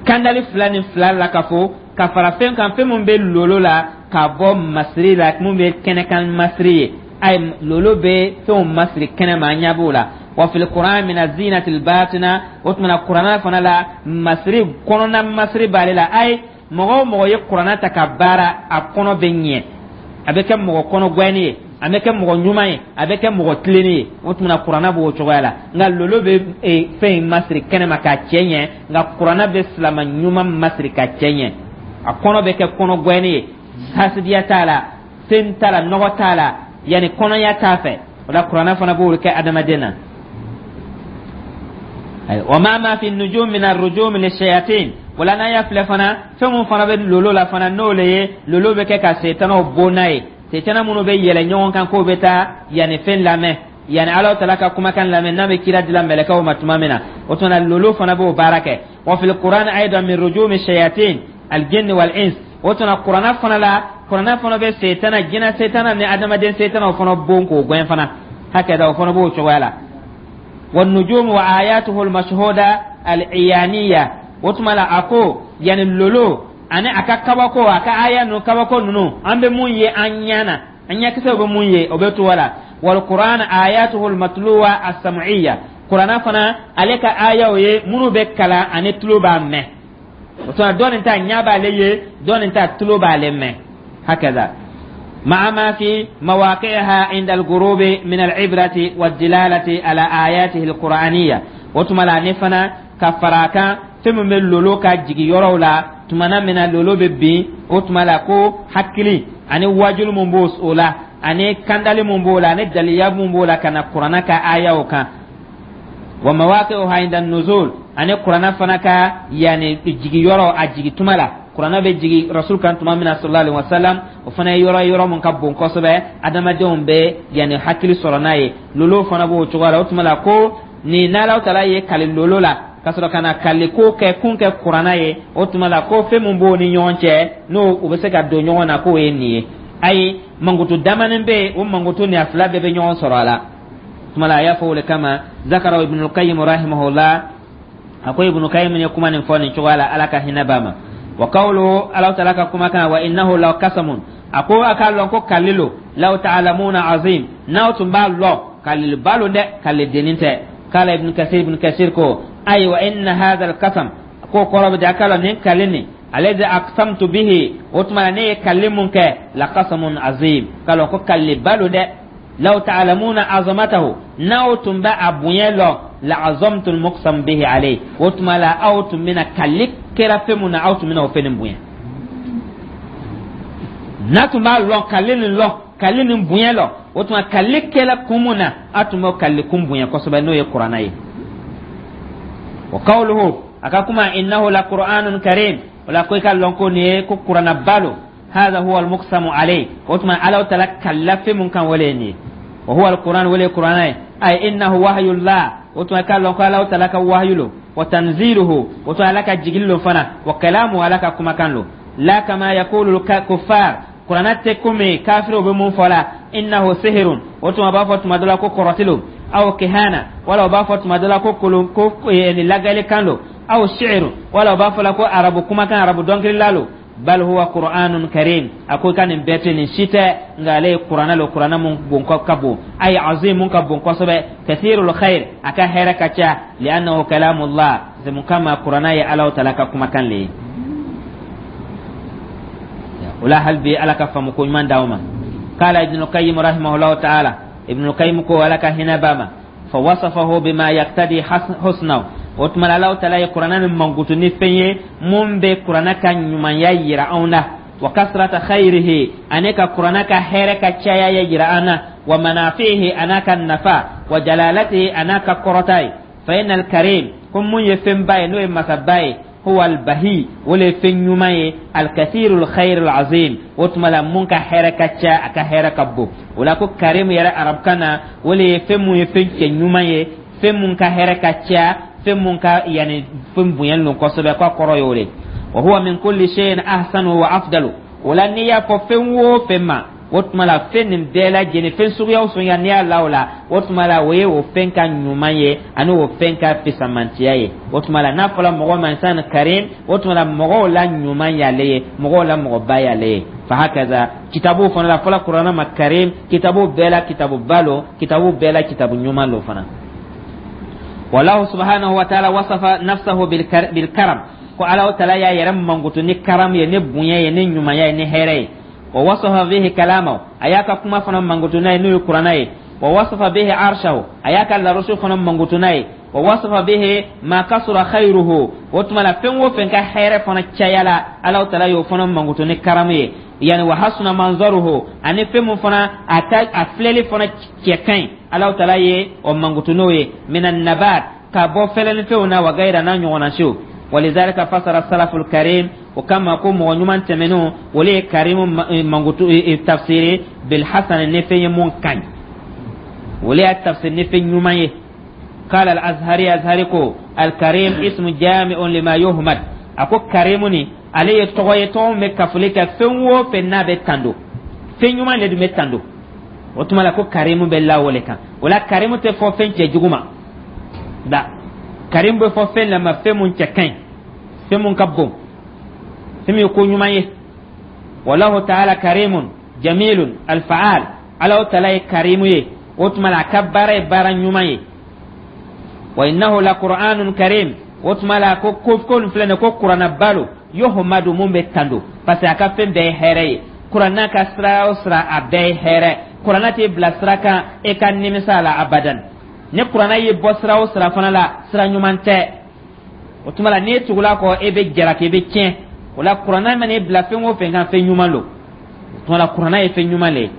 kandali fila ni fila la ka fɔ ka fara fɛn kan, fɛn mun bɛ lolo la ka bɔ masiri la, mun bɛ kɛnɛkan masiri ye. Ay, lolo bɛ fɛnw masiri kɛnɛ ma, an ɲɛ b'o la. Wa fil Qur'an min azinati albatina. O tuma na Kuranna fana la, masiri kɔnɔna masiri b'ale la. Ay, mɔgɔ o mɔgɔ ye Kuranna ta ka baara, a kɔnɔ bɛ ɲɛ, a bɛ kɛ mɔgɔ kɔnɔ gwɛni ye, a bɛ kɛ mɔgɔ ɲuman ye, a bɛ kɛ mɔgɔ tilennen ye. O tuma na Kuranna b'o cogoya la. Nka lolo bɛ fɛn in masiri kɛnɛ ma k'a cɛ ɲɛ, nka Kuranna bɛ silama ɲuman masiri ka cɛ ɲɛ, a kɔnɔ bɛ kɛ kɔnɔ gwɛni ye, hasidiya t'a la, fɛn t'a la, nɔgɔ t'a la, yanni kɔnɔya t'a fɛ. O la Kuranna fana b'o kɛ adamaden na. Wa ma fi nujum min arrujum lishayatin. Wala n'an y'a filɛ fana, fɛn mun fana bɛ lolo la fana, n'o le ye lolo bɛ kɛ ka setanaw bon n'a ye, setana minnu bɛ yɛlɛ ɲɔgɔn kan k'o bɛ taa yanni fɛn lamɛn, yanni Ala tala ka kumakan lamɛn, n'a bɛ kira dila mɛlɛkɛw ma tuma min na, o tuma na lolo fana b'o baara kɛ. Wa fil Qur'an aidan min rujumi shayatin aljinn wal ins. O tuma Kuranna fana la, Kuranna fana bɛ setana, jinɛ setana ni adamaden setana, o fana bon k'o gɛn fana hakɛ da, o fana b'o cogoya la. والنجوم وآياته المشهودة العيانية. O tuma la a ko yani lolo ani a ka kabako, a ka aya ninnu, kabako ninnu, an bɛ mun ye an ɲɛ na, an ɲɛkisɛw bɛ mun ye, o bɛ to la. Wal Qur'an ayatuhu almatluwa as-sam'iyya. Qur'ana fana, ale ka ayaw ye minnu bɛ kalan ani tulo b'a mɛn. O tuma dɔ nin ta ɲɛ b'ale ye, dɔ nin ta tulo b'ale mɛn. Hakaza مع ما في مواقعها عند الغروب من العبرة والدلالة على آياته القرآنية. وتملا نفنا كفراكا. Fɛn min bɛ lolo ka jigi yɔrɔw la, tumana min na lolo bɛ bin, o tuma la ko hakili ani wajulu mun b'o o la, ani kandali mun b'o la, ani daliya mun b'o la ka na Kuranna ka ayaw kan. Wa mawaqi'uha inda nuzul, ani Kuranna fana ka yani jigi yɔrɔ, a jigi tuma la, Kuranna bɛ jigi Rasul kan tuma min na, sallallahu alaihi wasallam, o fana ye yɔrɔ ye, yɔrɔ mun ka bon kosɛbɛ, adamadenw bɛ yani hakili sɔrɔ n'a ye. Lolo fana b'o cogoya la. O tuma la ko nin n'Alahu Taala ye kali lolo la ka sɔrɔ ka na kali ko kɛ kun kɛ Kuranna ye, o tuma la ko fɛn mun b'o ni ɲɔgɔn cɛ, n'o u bɛ se ka don ɲɔgɔn na, k'o ye nin ye. Ayi, mankutu damanin bɛ yen, o mankutu ni a fila bɛɛ bɛ ɲɔgɔn sɔrɔ a la. Tuma la a y'a fɔ o de kama, zakara Ibnul Qayyim rahimahullah, a ko Ibnu Qayyim ye kuma nin fɔ nin cogoya la, Ala ka hinɛ b'a ma. Wa qawluhu, Ala Taala ka kumakan, wa innahu la qasamun, a ko a k'a lɔn ko kalilo, law ta'lamuna azim, n'aw tun b'a lɔn, kaliliba lo dɛ, kalidennin tɛ. Kala Ibn Kasir, Ibn Kasir ko ayi, wa inna hadha al-qasam, ko kɔrɔ bɛ di, a k'a lɔn nin kali nin, alladhi aqsamtu bihi, o tuma na ne ye kali mun kɛ, la qasamun azim, k'a lɔn ko kaliliba lo dɛ. Law ta'lamuna azamatahu, n'aw tun bɛ a bonya lɔn, la azamtu al-muqsam bihi alayhi, o tuma la aw tun bɛna kali kɛra fɛn mun na, aw tun bɛna o fɛn nin bonya. N'a tun b'a lɔn, kali nin lɔn, kali nin bonya lɔn, o tuma kali kɛla kun mun na, a tun b'o kali kun bonya kosɛbɛ, n'o ye Kuranna ye. Wa qawluhu, a ka kuma, innahu la qur'anun karim, o la ko i ka lɔn ko nin ye ko Kuranna lo. Hadha huwa al-muqsamu alayhi, o tuma Ala Taala kalila fɛn mun kan, wale nin ye. Wa huwa al-Qur'an, wale Qur'an ye. Ay innahu wahyullah, o tuma ka lɔn ko Ala Taala ka wahyu lo. Wa tanziluhu, o tuma Ala ka jigili lo fana. Wa kalamu, Ala ka kumakan lo. La kama yaqulu al-kuffar, Kuranna tɛ komi kafiriw bɛ mun fɔ la, innahu sihirun, o tuma b'a fɔ tuma dɔ la ko kɔrɔti lo, aw kihana, wala u b'a fɔ tuma dɔ la ko kolon ko ni lagalikan lo, aw shi'ru, wala u b'a fɔ la ko arabu kumakan, arabu dɔnkilila lo. Bal huwa qur'anun karim, a ko ka nin bɛɛ tɛ, nin si tɛ, nka ale ye Kuranɛ lo, Kuranɛ mun bon ka bon, ay azim, mun ka bon kosɛbɛ, kathirul khair, a ka hɛrɛ ka ca, li'annahu kalamullah, c'est mun kama Kuranɛ ye Ala Taala ka kumakan le ye. O la hali bi Ala ka faamu ko ɲuman d'aw ma. Kala Ibnu Qayyim rahimahullahu ta'ala, Ibnu Qayyim ko, Ala ka hinɛ b'a ma, fa wasafahu bima yaqtadi husnahu, o tuma Ala Taala ye Kuranɛ ni mankutu ni fɛn ye mun bɛ Kuranɛ ka ɲumanya yira anw na, wa kasrata khayrihi, ani ka Kuranɛ ka hɛrɛ ka caya ye yira an na, wa manafihi, an'a ka nafa, wa jalalatihi, an'a ka kɔrɔta ye. Fa innal karim, ko mun ye fɛnba ye, n'o ye masaba ye, huwa albahi, o le ye fɛn ɲuman ye, alkathirul khairul azim, o tuma la mun ka hɛrɛ ka ca, a ka hɛrɛ ka bon. O la ko karim yɛrɛ arabukan na, o le ye fɛn mun ye fɛn cɛ ɲuman ye, fɛn mun ka hɛrɛ ka ca, fɛn mun ka yani fɛn bonyanen don kosɛbɛ, k'a kɔrɔ y'o de. Wa huwa min kulli shay'in ahsanu wa afdalu, o la n'i y'a fɔ fɛn o fɛn ma, o tuma la fɛn nin bɛɛ lajɛlen, fɛn suguya o suguya n'i y'a la o la, o tuma la o ye o fɛn ka ɲuman ye ani o fɛn ka fisamantiya ye. O tuma la n'a fɔra mɔgɔ ma insan karim, o tuma la mɔgɔw la ɲuman y'ale ye, mɔgɔw la mɔgɔba y'ale ye. Fa hakaza kitabu fana la, fɔla Kuranɛ ma karim, kitabu bɛɛ la kitabu ba lo, kitabu bɛɛ la kitabu ɲuman lo fana. Wallahu subhanahu wa ta'ala wasafa nafsahu bilkaram, ko Ala Taala y'a yɛrɛ mankutu ni karam ye, ni bonya ye, ni ɲumanya ye, ni hɛrɛ ye. Wa wasafa bihi kalamahu, a y'a ka kuma fana mankutu n'a ye, n'o ye Kuranɛ ye. Wa wasafa bihi arshahu, a y'a ka larusu fana mankutu n'a ye. Wa wasafa bihi ma kasura khayruhu, o tuma la fɛn o fɛn ka hɛrɛ fana cayala, Ala Taala y'o fana mankutu ni karamu ye. Yani wa hasuna manzaruhu, ani fɛn mun fana a ta a filɛli fana cɛ ka ɲi, Ala Taala ye o mankutu n'o ye, minan nabat, ka bɔ fɛlɛnifɛnw na, wa gayira, n'a ɲɔgɔnna siw. Walizalika fasara salaful karim, o kama ko mɔgɔ ɲuman tɛmɛnenw, olu ye karimu mankutu tafsiri bilhasan, ni fɛn ye mun ka ɲi, olu y'a tafsiri ni fɛn ɲuman ye. قال الأزهري، أزهري ko الكريم اسم جامع لما يحمد, a ko karimu ni ale ye tɔgɔ ye, tɔgɔ min bɛ kafoli kɛ fɛn o fɛn n'a bɛ tando, fɛn ɲuman de dun bɛ tando. O tuma la ko karimu bɛ la o le kan. O la karimu tɛ fɔ fɛn cɛjugu ma da, karimu bɛ fɔ fɛn la ma, fɛn mun cɛ ka ɲi, fɛn mun ka bon, fɛn min ye ko ɲuman ye. Wallahu ta'ala karimun jamilun alfaal, Ala Taala ye karimu ye, o tuma la a ka baara ye baara ɲuman ye. Wa innahu la qur'anun karim, o tuma la ko ko ko nin filɛ nin ye ko Kuranna lo, yuhmadu, mun bɛ tando, parce que a ka fɛn bɛɛ ye hɛrɛ ye. Kuranna ka sira o sira, a bɛɛ ye hɛrɛ. Kuranna t'i bila sira kan e ka nimisa a la abadan. Ni Kuranna y'i bɔ sira o sira fana la, sira ɲuman tɛ. O tuma la, n'e tugula kɔ, e bɛ jalaki, i bɛ tiɲɛ. O la, kuranna mana e bila fɛn o fɛn kan, fɛn ɲuman don. O tuma la, kuranna ye fɛn ɲuman le ye.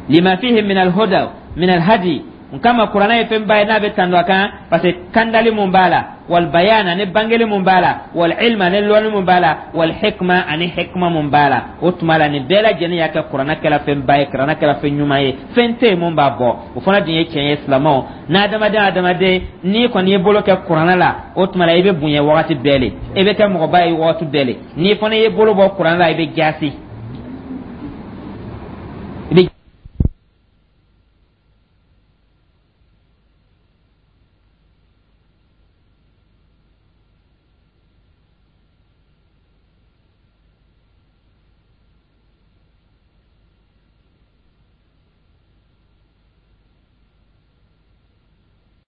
Lima fihi min alhuda min alhadi, n kama kuranna ye fɛnba ye n'a bɛ tando a kan, parce que kandali mun b'a la, wal bayan, ani bangeli mun b'a la, wal ilma, ani lɔnni mun b'a la, wal hikma, ani hikma mun b'a la. O tuma la, nin bɛɛ lajɛlen y'a kɛ kuranna kɛla fɛnba ye, kuranna kɛla fɛn ɲuman ye, fɛn tɛ yen mun b'a bɔ. O fana dun ye tiɲɛ ye. Silamɛw n'adamaden, adamaden n'i kɔni y'i bolo kɛ kuranna la, o tuma la, i bɛ bonya wagati bɛɛ le, i bɛ kɛ mɔgɔba ye wagati bɛɛ le. N'i fana y'i bolo bɔ kuranna la, i bɛ jaasi.